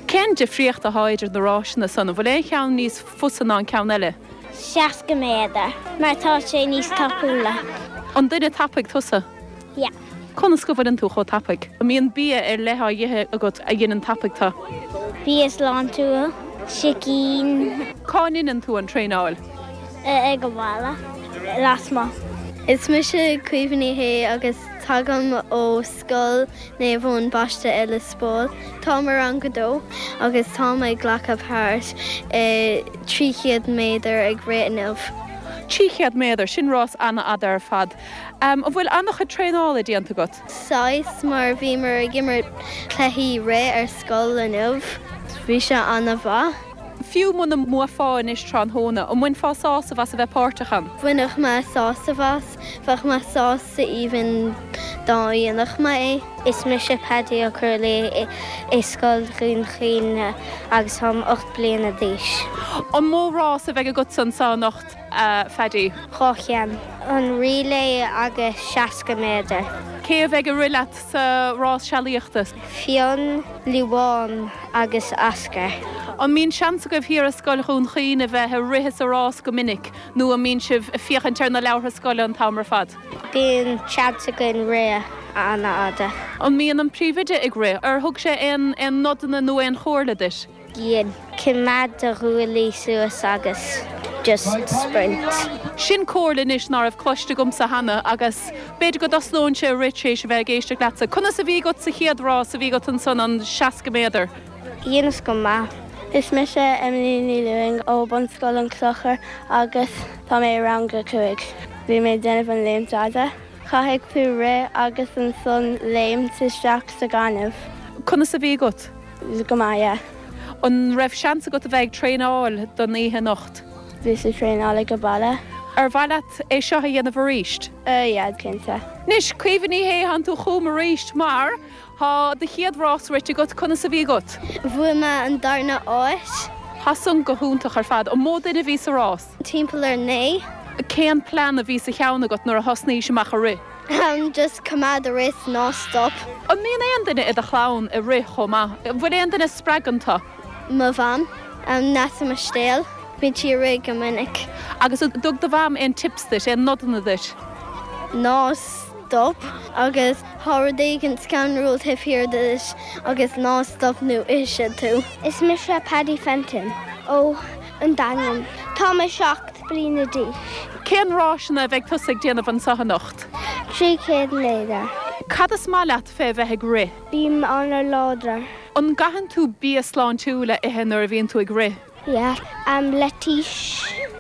A: Cén difríocht atá idir na ráiseanna san? An bhfuil aon cheann níos fusa ná an ceann eile?
F: 60 méadar mar tá sé níos tapúla.
A: An duine tapaidh tusa?
F: Yeah.
A: Conas go bhfuileann tú chomh tapaidh? An mbíonn bia ar leith á ithe agat a dheineann tapaidh tú?
F: Bia sláintiúil, sicín.
A: Cá ndeineann tú an traenáil?
F: Ag an bhaile, lasmuigh.
G: Is mise Caoimhe Ní Shé agus tagaim ó Scoil Naomh Eoin Baiste i Lios Póil. Táim i rang a dó agus táim ag glacadh páirt i 300 méadar ag rith inniu.
A: 300 méadar, sin rás an-fhada ar fad. An bhfuil an-chuid traenála déanta agat?
G: Saghas, mar bhíomar ag imirt cluichí rith ar scoil inniu. Bhí sé an-mhaith.
A: Fiú muna mbuafá anois tráthnóna, an mbainfeá sásamh as a bheith páirteach ann?
G: Bhainfeadh mé sásamh as. Bheadh mé sásta even dá ndéanfadh mé é.
F: Is mise Paddy Ó Crualaoich i Scoil Dhún Chaoin agus táim 8 bliana d'aois.
A: An mó rás a bheidh agatsa anseo anocht? a Phaddy?
F: 2 cheann. An relay agus 60 méadar.
A: Cé a bheidh ag rith leat sa rás sealaíochta?
F: Fionn, Liobhán agus Oscar.
A: An mbíonn seans agaibh thiar i Scoil Dhún Chaoin a bheith ag rith sa rás go minic nó an mbíonn sibh ag féachaint ar na leabhartha scoile an t-am ar fad?
F: Bíonn seans againn rith an-fhada.
A: An mbíonn an príomhoide ag rith? Ar thug sé aon nodanna nó aon chomhairle duit?
F: Bíonn. Coimeád do ghuaillí suas agus just sprint.
A: Sin comhairle anois ná raibh cloiste agamsa cheana agus b'fhéidir go dtosnóinnse ag rith tar éis a bheith ag éisteacht leatsa. Conas a bhí agat sa chéad rás a bhí agat ansan, an 60 méadar?
F: Dheineas go maith.
G: Is mise Emily Ní Lúing ó Bunscoil an Chlochair agus tá mé i rang a 5. Bhí mé ag déanamh an léimt fhada. Caithfidh tú rith agus ansan léimt isteach sa gaineamh.
A: Conas a bhí agat?
G: Go maith, yeah.
A: An raibh seans agat a bheith ag traenáil don oíche anocht?
G: Bhíos ag traenáil ag an baile.
A: Ar mhaith leat é seo a dhéanamh arís?
G: Yeah, cinnte.
A: Anois, Caoimhe Ní Shé, tánn tú chugam arís mar tá do chéad rás rite agat. Conas a bhí agat?
G: Bhuaigh mé an darna áit.
A: Tá san go hiontach ar fad. An mó duine a bhí sa rás?
G: Timpeall ar 9.
A: Cén plean a bhí sa cheann agat nuair a thosnaís amach ag rith?
G: Just coimeád ag rith ná stop.
A: An mbíonn aon duine i do chlann ag rith chomh maith? An bhfuil aon duine a spreagann tú?
G: Mo mham, Neasa Mistéil. Bíonn sí ag rith go minic.
A: Agus an dtug do mham aon tips duit, aon nodanna duit?
G: Ná stop agus tá rud éigin scanrúil taobh thiar duit agus ná stop nó ithfidh siad tú.
F: Is mise Paddy Fenton ó An Daingean. Tá mé 7 bliana d'aois.
A: Cén ráiseanna a bheidh tusa ag déanamh anseo anocht?
F: 300 méadar.
A: Cad is maith leat fé bheith ag rith?
F: Bím an-láidir.
A: An gcaitheann tú bia sláintiúil a ithe nuair a bhíonn tú ag rith?
F: Yeah. Leitís,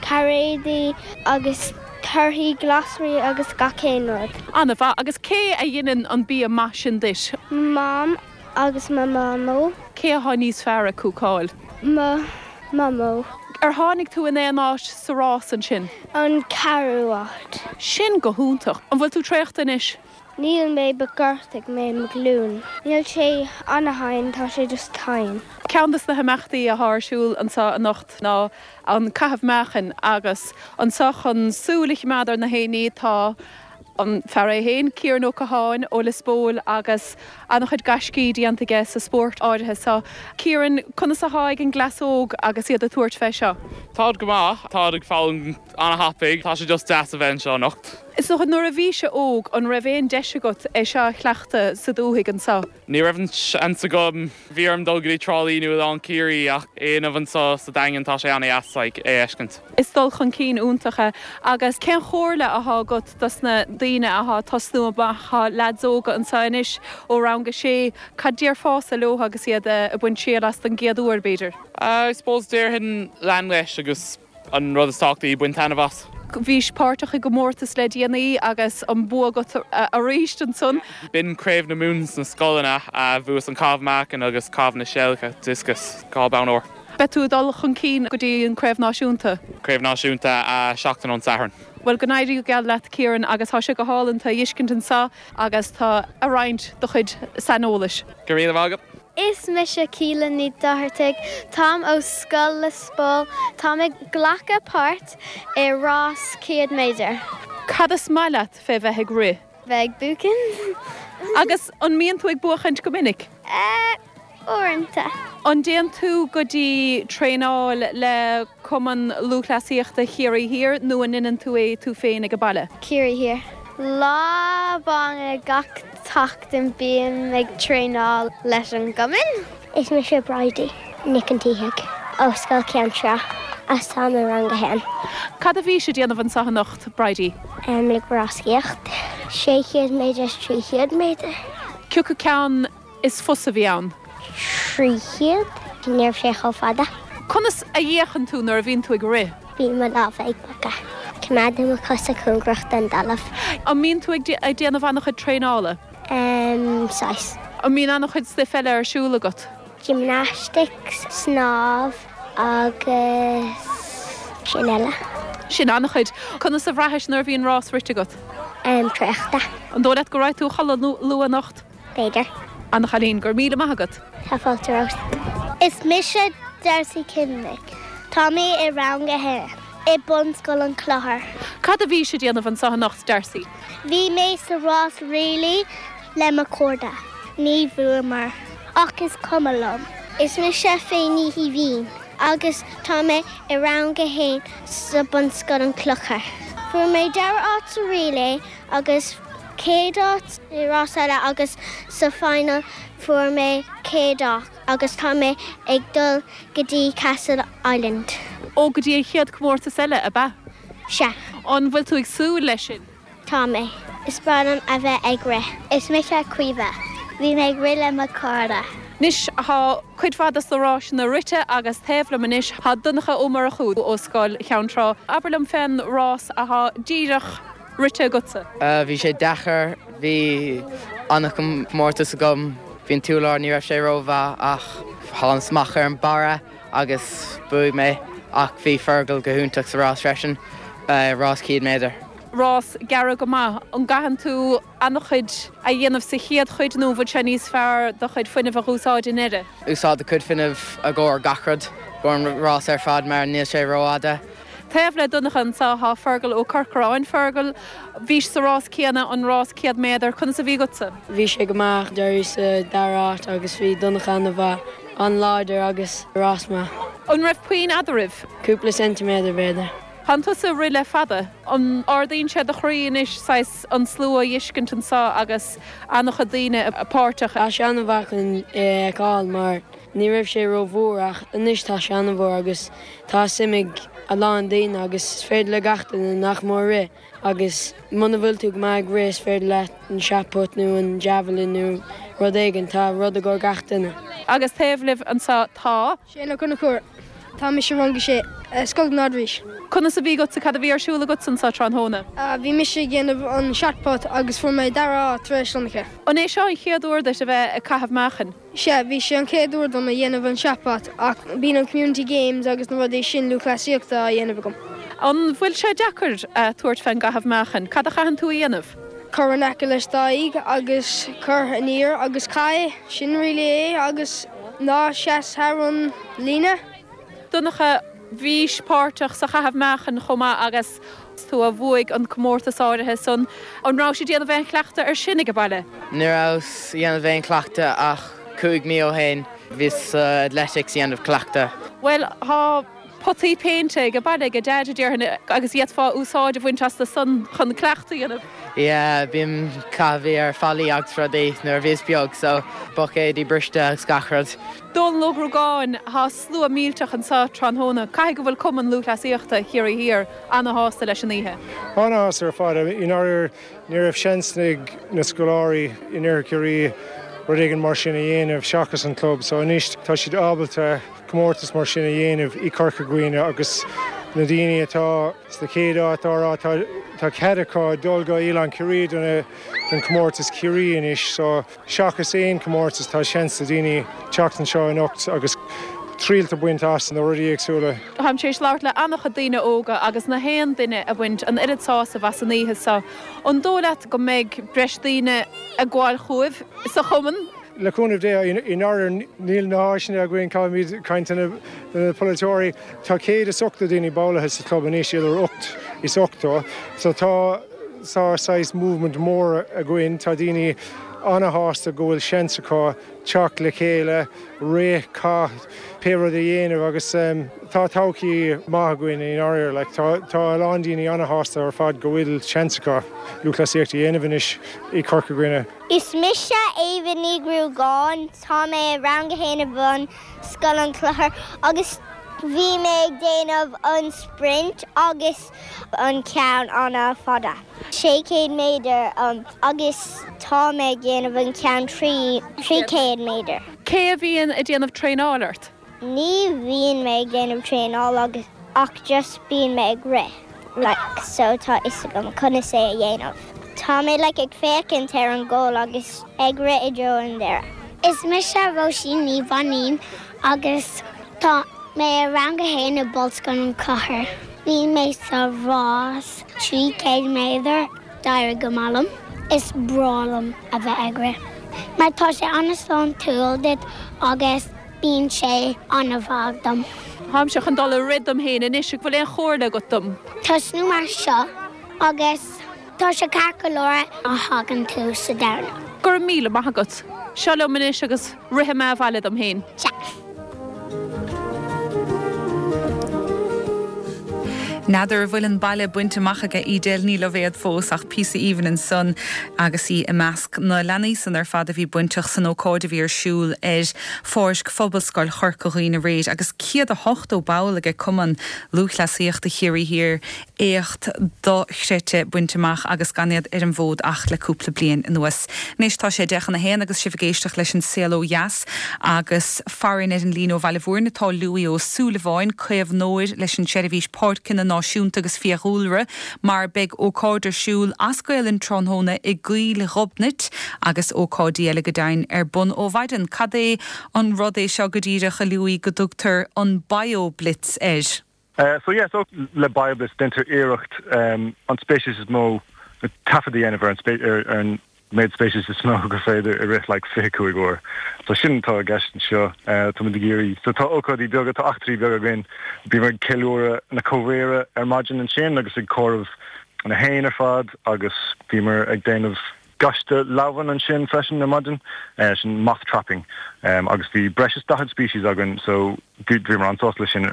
F: cairéidí agus torthaí, glasraí agus gach aon rud.
A: An-mhaith. Agus cé a dheineann an bia maith sin duit?
F: Mam agus mo mhamó.
A: Cé athá níos fearr ag cúcáil?
F: Mo mhamó.
A: Ar tháinig tú in aon áit sa rás ansin?
F: An ceathrú áit.
A: Sin go hiontach. An bhfuil tú traochta anois?
F: Níl mé but ghortaigh mé mo ghlúin. Níl sé ana-thinn, tá sé just tinn.
A: Ceann de na himeachtaí athá ar siúl anseo anocht ná an caitheamh meáchain agus anseo chun súil a chimeád ar na héinní tá an fear é féin, Ciaran Ó Catháin ó Lios Póil agus an-chuid gaiscí déanta aige sa spórt áirithe seo. Ciaran, conas athá ag an gcleas óg agus iad ag tabhairt fé seo?
H: Táid go maith, táid ag foghlaim ana-thapaidh, tá sé just deas a bheith anseo anocht.
A: Is dócha, nuair a bhís óg, an raibh aon deis agat é seo a chleachtadh sa dúthaigh anseo?
H: Ní raibh an seans agam. Bhí orm dul go dtí Trá Lí nó Oileán Ciarraí ach é a dhéanamh anseo sa Daingean tá sé ana-dheas like é a fheiscint.
A: Is dul chun cinn iontach é. Agus cén chomhairle athá agat dos na daoine athá ag tosnú amach, thá leaids óga anseo anois ó rang a sé, cad déarfása leo agus iad ag baint triail as don gcéad uair b'fhéidir?
H: I suppose déarfainn lean leis agus An rud is tábhachtaí, bain taitneamh as.
A: Bhís páirteach i gcomórtas le déanaí agus an bua agat arís ansan.
H: B'in Craobh na Mumhan sna scoileanna. Bhuas an caitheamh meáchain agus caitheamh na seilge, discus, 2 bonn óir.
A: Beidh tú ag dul chun cinn go dtí an Craobh Náisiúnta?
H: Craobh Náisiúnta seachtain ón Satharn.
A: Bhuel, go n-éirí go geal leat Ciaran agus tá sé go hálainn tú a fheiscint anseo agus tú ag roinnt do chuid saineolais.
H: Go raibh míle maith agat.
G: Is mise Keelin Ní Dhochartaigh. Táim ó Scoil Lios Póil. Táim ag glacadh páirt i rás 100 méadar.
A: Cad is maith leat fé bheith ag rith?
G: Bheith ag buachaint.
A: Agus an mbíonn tú ag buachaint go minic?
G: Eh, uaireanta.
A: An dtéann tú go dtí traenáil le Cumann Lúthchleasaíochta Chiarraí Thiar nó an ndeineann tú é tú féin ag an baile?
G: Ciarraí Thiar. Lá amháin gach tseachtain bím ag traenáil leis an gcumann.
F: Is mise Bridie Nic an tSíthigh ó Scoil Cheann Trá agus táim i rang a haon.
A: Cad a bhís ag déanamh anseo anocht, Bridie?
F: Ag ráscaíocht. 600 méadar is 300 méadar.
A: Cioca ceann is fusa a bhí ann?
F: 300. Ní raibh sé chomh fada.
A: Conas a fhéachann tú nuair a bhíonn tú ag rith?
F: Bíonn mo lámha ag bogadh. Coimeádaim mo chosa cóngarach don dtalamh.
A: An mbíonn tú ag déanamh an-chuid traenála?
F: Em, saghas.
A: An mbíonn an-chuid stuif eile ar siúl agat?
F: Gymnastics, snámh agus sin eile.
A: Sin an-chuid. Conas a bhraithis nuair a bhíonn rás rite agat?
F: Em, traochta.
A: An dóigh leat go raghaidh tú a chodladh luath anocht?
F: B'fhéidir.
A: Ana-chailín, go raibh míle maith agat.
F: Tá fáilte romhat. Is mise Darcy Kinley. Tá mé i rang a haon i Bunscoil an Chlochair.
A: Cad a bhís ag déanamh anseo anocht, Darcy?
F: Bhí mé sa rás relay le mo chairde. Ní bhuamar, ach is cuma liom. Is mise Faye Ní Shuibhín agus tá mé i rang a haon sa Bunscoil an Clochar. Fuair mé dara áit sa relay agus chéad áit i rás eile agus sa final fuair mé chéad áit agus tá mé ag dul go dtí Castleisland.
A: Ó, go dtí an chéad comórtas eile, ab ea?
F: Sea.
A: An bhfuil tú ag súil leis sin?
F: Tá mé. Is breá liom a bheith ag rith. Is mise Caoimhe. Bhí mé ag rith le mo chairde.
A: Anois thá cuid mhaith dos na ráiseanna rite agus taobh liom anois thá Donncha Ó Murchú ó Scoil Cheann Trá. Abair liom fén rás athá díreach rite agatsa.
I: Bhí sé deacair, bhí an-chomórtas agam, bhí an t-urlár, ní raibh sé rómhaith ach thánas amach ar an barra agus bhuaigh mé ach bhí Fergal go hiontach sa rás freisin, rás 100 méadar.
A: Rás gearr go maith. An gcaitheann tú an-chuid a dhéanamh sa chéad chuid nó an bhfuil sé níos fearr do chuid fuinnimh a dh'úsáid i ndeireadh?
I: Úsáid do chuid fuinnimh i gcomhair gach rud, i gcomhair an rás ar fad mar níl sé rófhada.
A: Taobh le Donncha anseo thá Fergal Ó Corcoráin. Fergal, bhís sa rás céanna, an rás 100 méadar, conas a bhí agatsa?
J: Bhí sé go maith, d'éiríos sa dara háit agus bhí Donncha an-mhaith, an-láidir agus rás maith.
A: An raibh puinn eadraibh?
J: Cúpla ceintiméadar b'fhéidir.
A: Tánn tusa ag rith le fada. An ardaíonn sé do chroí anois saghas an slua a fheiscint anseo agus an-chuid daoine páirteach?
J: Tá sé an-mhaith chun é a fheiceáil mar Ní raibh sé ró-mhór ach anois tá sé an-mhór agus tá suim ag a lán daoine agus is féidir le gach duine nach mór rith. Agus muna bhfuil tú go maith ag rith is féidir leat an shot put nó an javelin nó rud éigin, tá rud i gcomhair gach duine.
A: Agus taobh libh anseo tá.
K: Shane Ó Conchúir, Tá mise i rang a sé, Scoil na nArd-Rís.
A: Conas a bhí agatsa, cad a bhí ar siúl agatsa anseo tráthnóna?
K: Bhí mise ag déanamh an shot put agus fuair mé dara háit tar éis Donncha.
A: An é seo an chéad uair duit a bheith ag caitheamh meáchain?
K: Sea, bhí sé an chéad uair dom a dhéanamh an shot put ach bíonn an community games agus na rudaí sin lúthchleasaíochta á dhéanamh agam.
A: An bhfuil sé deacair tabhairt fén gcaitheamh meáchain? Cad a chaitheann tú a dhéanamh?
K: Cuir in aice leis d'aghaidh agus cuir aniar agus caith é, sin really é agus ná seas thar an líne.
A: Donncha, Bhís páirteach sa chaitheamh meáchain chomh maith agus tú a bhuaigh an comórtas áirithe san. An rabhais ag déanamh aon chleachtadh ar sin ag baile?
I: Ní rabhas ag dhéanamh aon chleachtadh ach 5 mí ó shin bhíos sa athletics ag dhéanamh cleachtadh.
A: Bhuel, tá potaí péinte ag baile ag Deaid, déarfainn, agus d'fhéadfá úsáid a bhaint astu san chun cleachtadh a dhéanamh.
I: Yeah, bím ag caitheamh ar fallaí agus rudaí nuair a bhíos beag so buicéidí briste agus gach rud.
A: Dónal Ó Gruagáin, Tá slua millteach anseo tráthnóna. Caithfidh go bhfuil Cumann Lúthchleasaíochta Chiarraí Thiar ana-shásta leis an oíche.
L: Ana-shásta ar fad. I ndáiríre, ní raibh seans ag na scoláirí in Iarthar Chiarraí rud éigin mar sin a dhéanamh seachas an club so anois tá siad ábalta comórtas mar sin a dhéanamh i Corca Dhuibhne agus na daoine atá sa chéad áit á rá tá cead acu dul go Oileán Ciarraí don chomórtas Ciarraí anois so Seachas aon chomórtas, tá seans do daoine teacht anseo anocht agus triail a bhaint as na rudaí éagsúla.
A: Táim tar éis labhairt le an-chuid daoine óga agus nach aon duine a bhaint an oiread sásaimh as an oíche seo. An dóigh leat go mbeidh breis daoine ag gabháil chugaibh sa chumann?
L: Le cúnamh Dé, i ndáiríre níl na háiseanna againn, caithfimid caint le na polaiteoirí. Tá 180 daoine ballaithe sa chlub anois, idir 8 is 80, so tá. Tá saghas movement mór againn, tá daoine ana-shásta go bhfuil seans acu teacht le chéile, rith, caith, pé rud a dhéanamh agus tá todhchaí maith againn i ndáiríre. Like, tá, tá a lán daoine ana-shásta ar fad go bhfuil seans acu lúthchleasaíocht a dhéanamh anois i Corca Dhuibhne.
F: Is mise Éabha Ní Ghruagáin, tá mé i rang a haon i Bunscoil an Chlochair agus bhí mé ag déanamh an sprint agus an ceann an-fhada, 600 méadar, agus tá mé ag déanamh an ceann 300 méadar.
A: Cé a bhíonn ag déanamh traenáil ort?
F: Ní bhíonn mé ag déanamh traenáil agus ach just bíonn mé ag rith like so tá fhios agam conas é a dhéanamh. Tá mé like ag féachaint ar an goal agus ag rith i dtreo an deireadh. Is mise Róisín Ní Mhainín agus tá mé i rang a haon i Bunscoil an Chlochair. Bhí mé sa rás 300 méadar, d'éirigh go maith liom. Is breá liom a bheith ag rith mar tá sé an-sláintiúil duit agus bíonn sé an-mhaith dom.
A: Táimse chun dul ag rith dom féin anois, an bhfuil aon chomhairle agat dom?
F: Tosnú mar seo agus tá sé ceart go leor má thagann tú sa deireadh.
A: Go raibh míle maith agat. Seo liom anois agus rithfidh mé abhaile dom féin.
F: Sea.
A: N'fheadar an bhfuil an baile bainte amach aige Edel Ní Loibhéad fós ach píosa aoibhinn ansan agus í i measc na leanaí san ar fad a bhí bainteach san ócáid a bhí ar siúl ar pháirc Phobalscoil Chorca Dhuibhne aréir agus 180 ball aige Cumann Lúthchleasaíochta Chiarraí Thiar éacht dochreidte bainte amach agus gan iad ar an bhfód ach le cúpla bliain anuas. Anois tá sé 10 chun a haon agus sibh ag éisteacht leis an Saol Ó Dheas agus farainn ar an líne ó Bhaile Bhúirne tá Louis Ó Súilleabháin, caomhnóir leis an tSeirbhís Páirceanna Náisiúnta agus Fiadhúlra mar beidh ócáid ar siúl as Gaolainn tráthnóna i gCoill Ghobnait agus ócáidí eile go deimhin ar bun ó mhaidin. Cad é an rud é seo go díreach a Louis go dtugtar an BioBlitz air?
M: So yeah, so le BioBlitz déantar iarracht an speiceas is mó, taifead a dhéanamh ar an ar an méid speiceas is mó gur féidir i rith like 25 uair. So sin atá i gceist anseo. Táimid ag iarraidh, so tá ócáidí beaga, tá eachtraí beaga againn. Bíomar ag ceiliúradh na comhriara ar maidin ansin agus ag comhaireamh na héin ar fad agus bhíomar ag déanamh gaiste leamhan ansin freisin ar maidin, sin moth trapping agus bhí breis is 40 species againn so bhíomar an-sásta leis sin.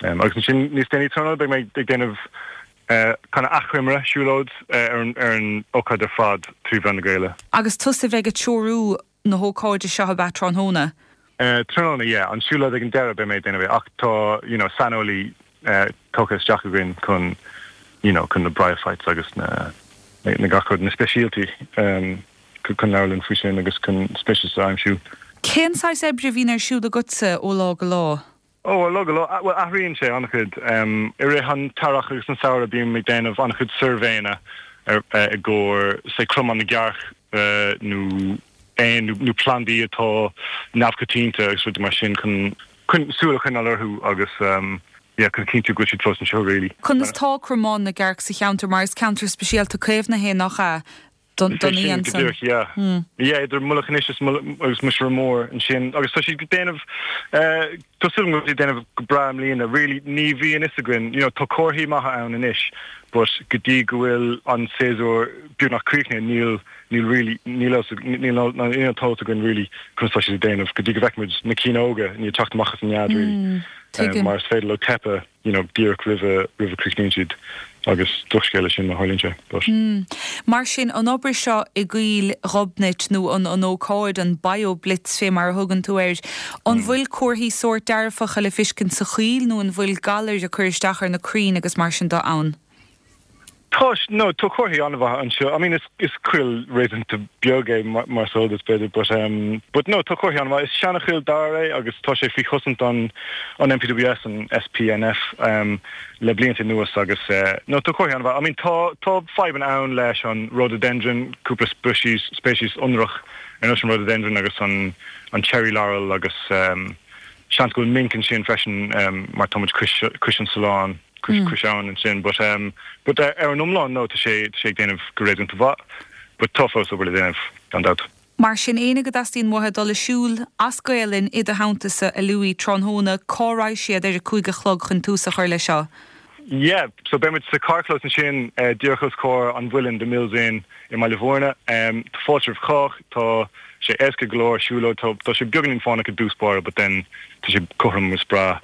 M: Agus ansin níos déanaí tráthnóna beidh mé ag déanamh kind of achoimre, siúlóid ar an ócáid ar fad trí mheán na Gaeilge.
A: Agus tusa a bheidh ag treorú na hócáide seo ab ea tráthnóna?
M: Tráthnóna, yeah. An siúlóid ag an deireadh beidh mé ag déanamh é ach tá you know saineolaí tugtha isteach againn chun. you know chun na bryophytes agus na na gach rud, na speisialtaí chun labhairt linn faoi sin agus chun speicis a aimsiú.
A: Cén saghas oibre a bhíonn ar siúl agatsa ó lá go lá?
M: Ó, ó lá go lá, bhuel athraíonn sé an-chuid. I rith an t-earrach agus an samhradh bím ag déanamh an-chuid suirbhéanna i gcomhair say cromán na gcearc nó éin nó plandaí atá neamhchoitianta agus rudaí mar sin chun súil a choinneáil orthu agus yeah chun cinntiú go bhfuil siad fós anseo really.
A: Conas tá cromán na gcearc sa cheantar mar is ceantar speisialta caomhnaithe é nach ea? don
M: Is é sin
A: fhiann
M: go
A: san.
M: díreach, yeah. Yeah, idir Mullach Inis is agus Muiseire Mór ansin. Agus tá siad ag déanamh, eh, tá súil agam go bhfuil siad ag déanamh go breá i mbliana. Really, ní bhíonn fhios againn, you know, tá comharthaí maithe ann anois, but go dtí go bhfuil an séasúr beagnach críochnaithe, níl, níl really, níl fhios, níl, níl an t-eolas againn really conas tá siad ag déanamh, go dtí go bhfeicfimid na cinn óga i ndiaidh teacht amach as an nead really.
A: Tuigim.
M: Mar is féidir leo teipeadh. you know díreach roimhe roimh a críochnaíonn siad agus drochscéal é sin má tharlaíonn sé but.
A: Mar sin, an obair seo i gCoill Ghobnait nó an an ócáid, an BioBlitz fé mar a thugann tú air, an bhfuil comharthaí sóirt dearfacha le fiscint sa choill nó an bhfuil galair ag cur isteach ar na crainn agus mar sin de ann?
M: Tá, no, tá comharthaí an-mhaithe anseo. I mean, is, is coill réasúnta beag é mar is eol duit, b'fhéidir, but, um, but no, tá comharthaí an-mhaith. Is seana-choill dair é agus tá sé faoi chosaint an, an NPWS, an SPNF, um, le blianta anuas agus, eh, no, tá comharthaí an-mhaith. I mean, tá, tá fadhbanna ann leis an rhododendron, cúpla species, speiceas ionrach ar nós an rhododendron agus an, an cherry laurel agus, um, seans go bhfuil minc ansin freisin, um, mar tá muid cois, cois an tSuláin. cois abhann ansin but um but ar an iomlán no tá sé tá sé ag déanamh go réasúnta mhaith but tá fós obair le déanamh gan dabht.
A: Mar sin, éinne go dteastaíonn uathu dul ag siúl as Gaelainn i do theannta-sa, a Louis, tráthnóna, cá raghaidh siad ar a 5 a chlog chun tús a chur leis seo?
M: Yeah, so beidh muid sa carrchlós ansin díreach os comhair an Mhuilinn, The Mills Inn i mBaile Bhúirne. Tá fáilte roimh chách, tá sé éasca go leor siúlóid, tá tá sé beagáinín fánach i dtús báire but then tá sé cothrom is breá.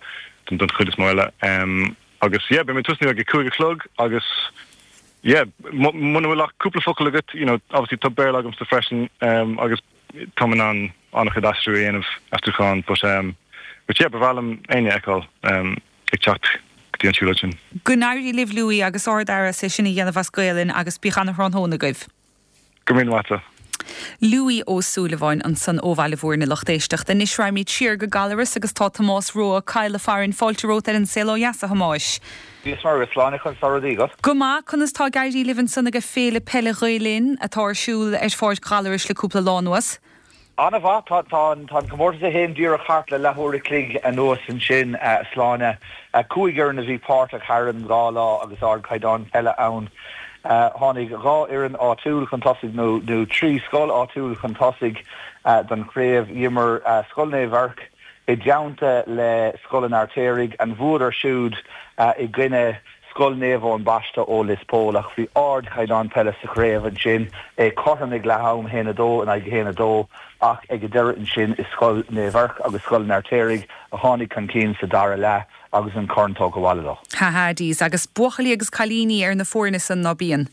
M: don chuid is mó eile. Agus yeah, beidh muid ag tosnú ag a 5 a chlog agus yeah, muna bhfuil ach cúpla focal agat, you know, obviously tá Béarla agamsa freisin agus táim in ann an-chuid aistriú a dhéanamh, aistriúchán, but but yeah, ba bhreá liom éinne a fheiceáil ag teacht go dtí an tsiúlóid sin.
A: Go n-éirí libh Louis agus ard-fhear as é sin a dhéanamh as Gaelainn agus bíodh ana-thráthnóna agaibh.
M: Go raibh míle maith agat.
A: Louis Ó Súilleabháin ansan ó Bhaile Bhúirne, lucht éisteachta. Anois raghaimid siar go Gallaras agus tá Tomás Rua Ó Cadhla farainn. Fáilte romhat ar An Saol Ó Dheas, a Thomáis.
N: Dia is Muire, Sláine, conas tá rudaí agat?
A: Go maith, conas tá ag éirí libh ansan age Féile Peile Ghael Linn atá ar siúl ar Pháirc Ghallarais le cúpla lá anuas?
N: An-mhaith. Tá tá an comórtas é féin díreach thart le leathuair a chloig anuas ansin, a Shláine. 5 fhoireann a bhí páirteach thar an dhá lá agus ardchaighdeán peile ann. Tháinig dhá fhoireann áitiúil chun tosaigh, nó nó 3 scoil áitiúil chun tosaigh don chraobh. D'imir Scoil Naomh Eirc i dteannta le Scoil an Fheirtéaraigh. An bhuadar siúd i gcoinne Scoil Naomh Eoin Baiste ó Lios Póil ach bhí ardchaighdeán peile sa chraobh ansin, é cothrom ag leath am, 1-2 in aghaidh 1-2, ach ag an deireadh ansin is Scoil Naomh Eirc agus Scoil an Fheirtéaraigh a tháinig chun cinn sa dara leath agus an corn tógtha abhaile leo.
A: Ha ha, Jeez, agus buachaillí agus cailíní ar na foirne san, ná bíonn?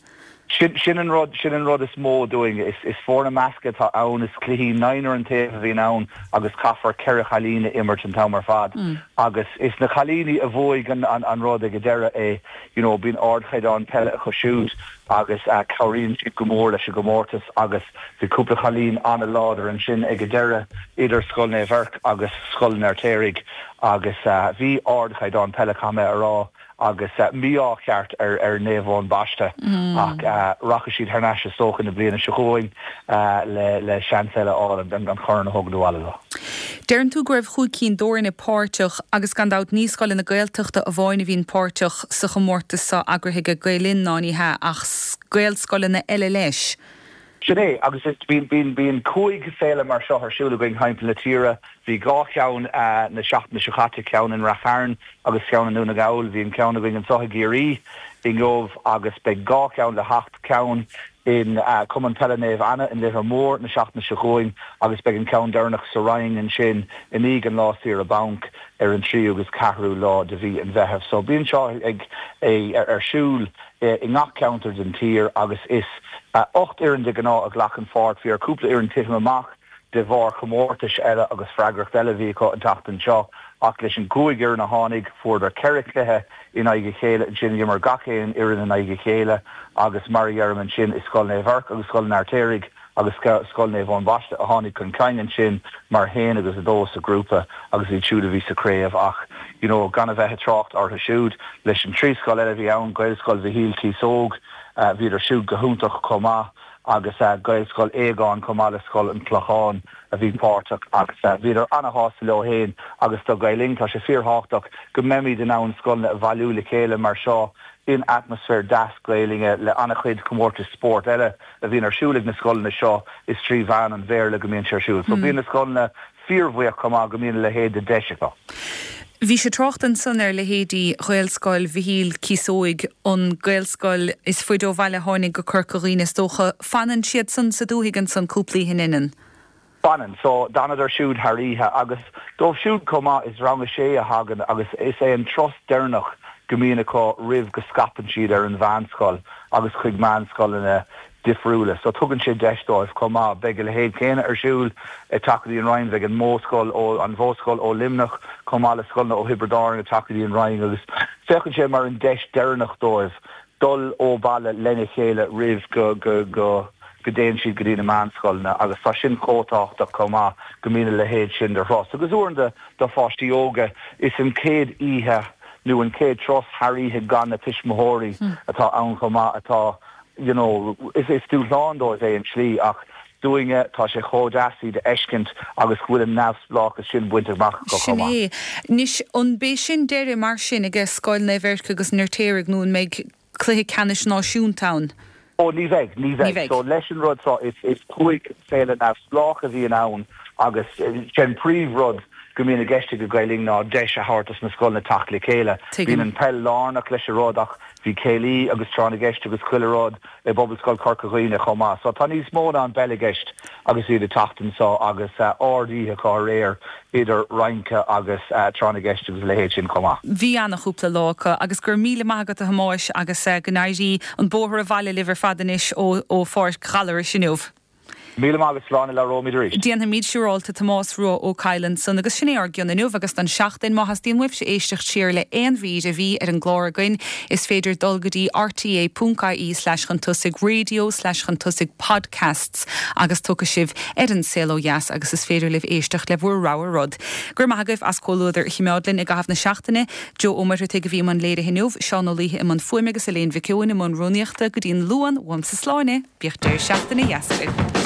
N: Sin, sin an rud, sin an rud is mó dúinn. Is, is foirne measctha atá ann, is cluichí naonúr an taobh a bhíonn ann agus caithfear ceithre chailín a imirt an t-am ar fad. Agus is na cailíní a bhuaigh an, an, an rud ag an deireadh é, you know, bíonn ardchaighdeán peile acu siúd agus cabhraíonn siad go mór leis an gcomórtas agus bhí cúpla cailín an-láidir ansin ag an deireadh idir Scoil Naomh Eirc agus Scoil an Fheirtéaraigh agus bhí ardchaighdeán peile, caithfidh mé a rá. agus mí-ádh ceart ar Naomh Eoin Baiste ach rachaidh siad thar n-ais is dócha na bliana seo chugainn le seans eile a fháil an corn a thógaint abhaile leo.
A: Deireann tú go raibh chúig cinn d'fhoirne páirteach agus gan dabht ní scoileanna Gaeltachta amháin a bhíonn páirteach sa chomórtas seo eagraithe ag Gael Linn ná ní hea ach Gaelscoileanna eile leis.
N: Sin é, agus is, bíonn, bíonn, bíonn 5 féile mar seo ar siúl againn thimpeall na tíre. Bhí dhá cheann na seachtaine seo caite, ceann in Rath Chairn agus ceann i nDún na nGall. Bhí an ceann againn anseo i gCiarraí inniu agus beidh dhá cheann le theacht, ceann in Cumann Peile Naomh Anna in Leifear Mór na seachtaine seo chugainn agus beidh an ceann deireanach sa Rinn ansin i ndiaidh an lá saoire banc ar an tríú agus ceathrú lá de mhí an Mheithimh. So bíonn seo ag, ar siúl. i ngach ceantar den tír agus is 8 fhoireann de ghnáth a ghlacann pháirt. Bhí ar cúpla fhoireann titim amach. de bharr chomórtais eile agus freagracht eile a bhí acu an tseachtain seo ach leis an gcúig fhoireann a tháinig, fuaireadar 4 chluiche in aghaidh a chéile ansin, d'imir gach aon fhoireann in aghaidh a chéile agus mar a dheirim ansin is Scoil Naomh Eirc agus Scoil an Fheirtéaraigh agus Scoil Naomh Eoin Baiste a tháinig chun cinn ansin mar 1 agus 2 sa ghrúpa agus iad siúd a bhí sa chraobh ach you know gan a bheith ag trácht orthu siúd leis an trí scoil eile a bhí ann, Gaelscoil Mhichíl Cíosóg, bhíodar siúd go hiontach chomh maith agus Gaelscoil Aogáin chomh maith le Scoil an Chlocháin a bhí páirteach agus bhíodar ana-shásta leo féin agus do Gael Linn tá sé fíorthábhachtach go mbeimid in ann scoileanna a bhailiú le chéile mar seo in atmaisféar deas Gaelainne le ana-chuid comórtais spóirt eile a bhíonn ar siúl ag na scoileanna seo is trí mheán an Bhéarla go mbíonn sé ar siúl. So bíonn na scoileanna fíorbhuíoch chomh maith go mbíonn a leithéid de deis acu.
A: Bhí sé ag trácht ansan ar leithéidí Ghaelscoil Mhichíl Cíosóig, an Gaelscoil is faide ó bhaile a tháinig go Corca Dhuibhne is dócha. Fanann siad san sa dúthaigh ansan cúpla oíche, an ionann?
N: Fanann. So, d'fhanadar siúd thar oíche agus dóibh siúd chomh maith is rang a sé a thagann agus is é an turas deireanach go mbíonn acu roimh go scaipeann siad ar an mheánscoil agus chuig meánscoileanna difriúla. So, tugann sé deis dóibh chomh maith. Beidh a leithéid céanna ar siúl ag teacht go dtí an Rinn, beidh an Mhodhscoil ó, an Mhodhscoil ó Luimneach chomh maith le scoileanna ó Thiobraid Árann ag teacht go dtí an Rinn agus féachann sé mar an deis deireanach dóibh dul ó bhaile lena chéile roimh go, go, go, go dtéann siad go dtí na meánscoileanna agus tá sin chomh tábhachtach chomh maith go mbíonn a leithéid sin de thuras. Agus uaireanta do pháistí óga is an chéad oíche nó an chéad turas thar oíche gan na tuismitheoirí atá ann chomh maith atá you know is is dúshlán dóibh é i slí ach dúinne tá sé chomh deas iad a fheiscint agus go bhfuil an neamhspleáchas sin bainte amach acu
A: chomh
N: maith.
A: Sin é. Anois an b'é sin deireadh mar sin aige Scoil Naomh Eirc agus an Fheirtéaraigh nó an mbeidh cluiche ceannais náisiúnta ann?
N: Ó, ní bheidh, ní bheidh. So, leis an rud seo, is, is 5 féile neamhspleách a bhíonn ann agus sé an príomh-rud go mbíonn i gceist ag Gael Linn ná deis a thabhairt dos na scoileanna teacht le chéile. Bíonn an peil lárnach leis an rud ach bhí céilí agus tráth na gceist agus chuile rud i bPobalscoil Chorca Dhuibhne chomh maith. So tá níos mó ná an bpeil i gceist agus iad ag teacht anso agus ard-oíche acu aréir idir rince agus tráth na gceist agus a leithéid sin chomh maith.
A: Bhí ana-chúpla lá acu agus go raibh míle maith agat a Thomáis agus go n-éirí an bóthar abhaile libh ar fad anois ó Pháirc Ghallarais inniu.
N: Míle maith agat Sláine, labhróimid arís.
A: Déanfaimid siúrálta Tomás Rua Ó Cadhla ansan agus sin é ár gcion inniu agus don seachtain. Má theastaíonn uaibhse éisteacht siar le aon mhír a bhí ar an gclár againn is féidir dul go dtí rte ponc ie slash chun tosaigh radio slash chun tosaigh podcasts agus tiocfaidh sibh ar an Saol Ó Dheas agus is féidir libh éisteacht le bhur rogha rud. Go raibh maith agaibh as comhluadar a chimeád linn i gcaitheamh na seachtaine. Joe Ó Muircheartaigh a bhí i mbun léirithe inniu, Seán Ó Laoithe i mbun fuaime agus Elaine Mhic Eoin i mbun rúnaíochta. Go dtí an Luan, uaimse Sláine! Bíodh deireadh seachtaine dheas agaibh.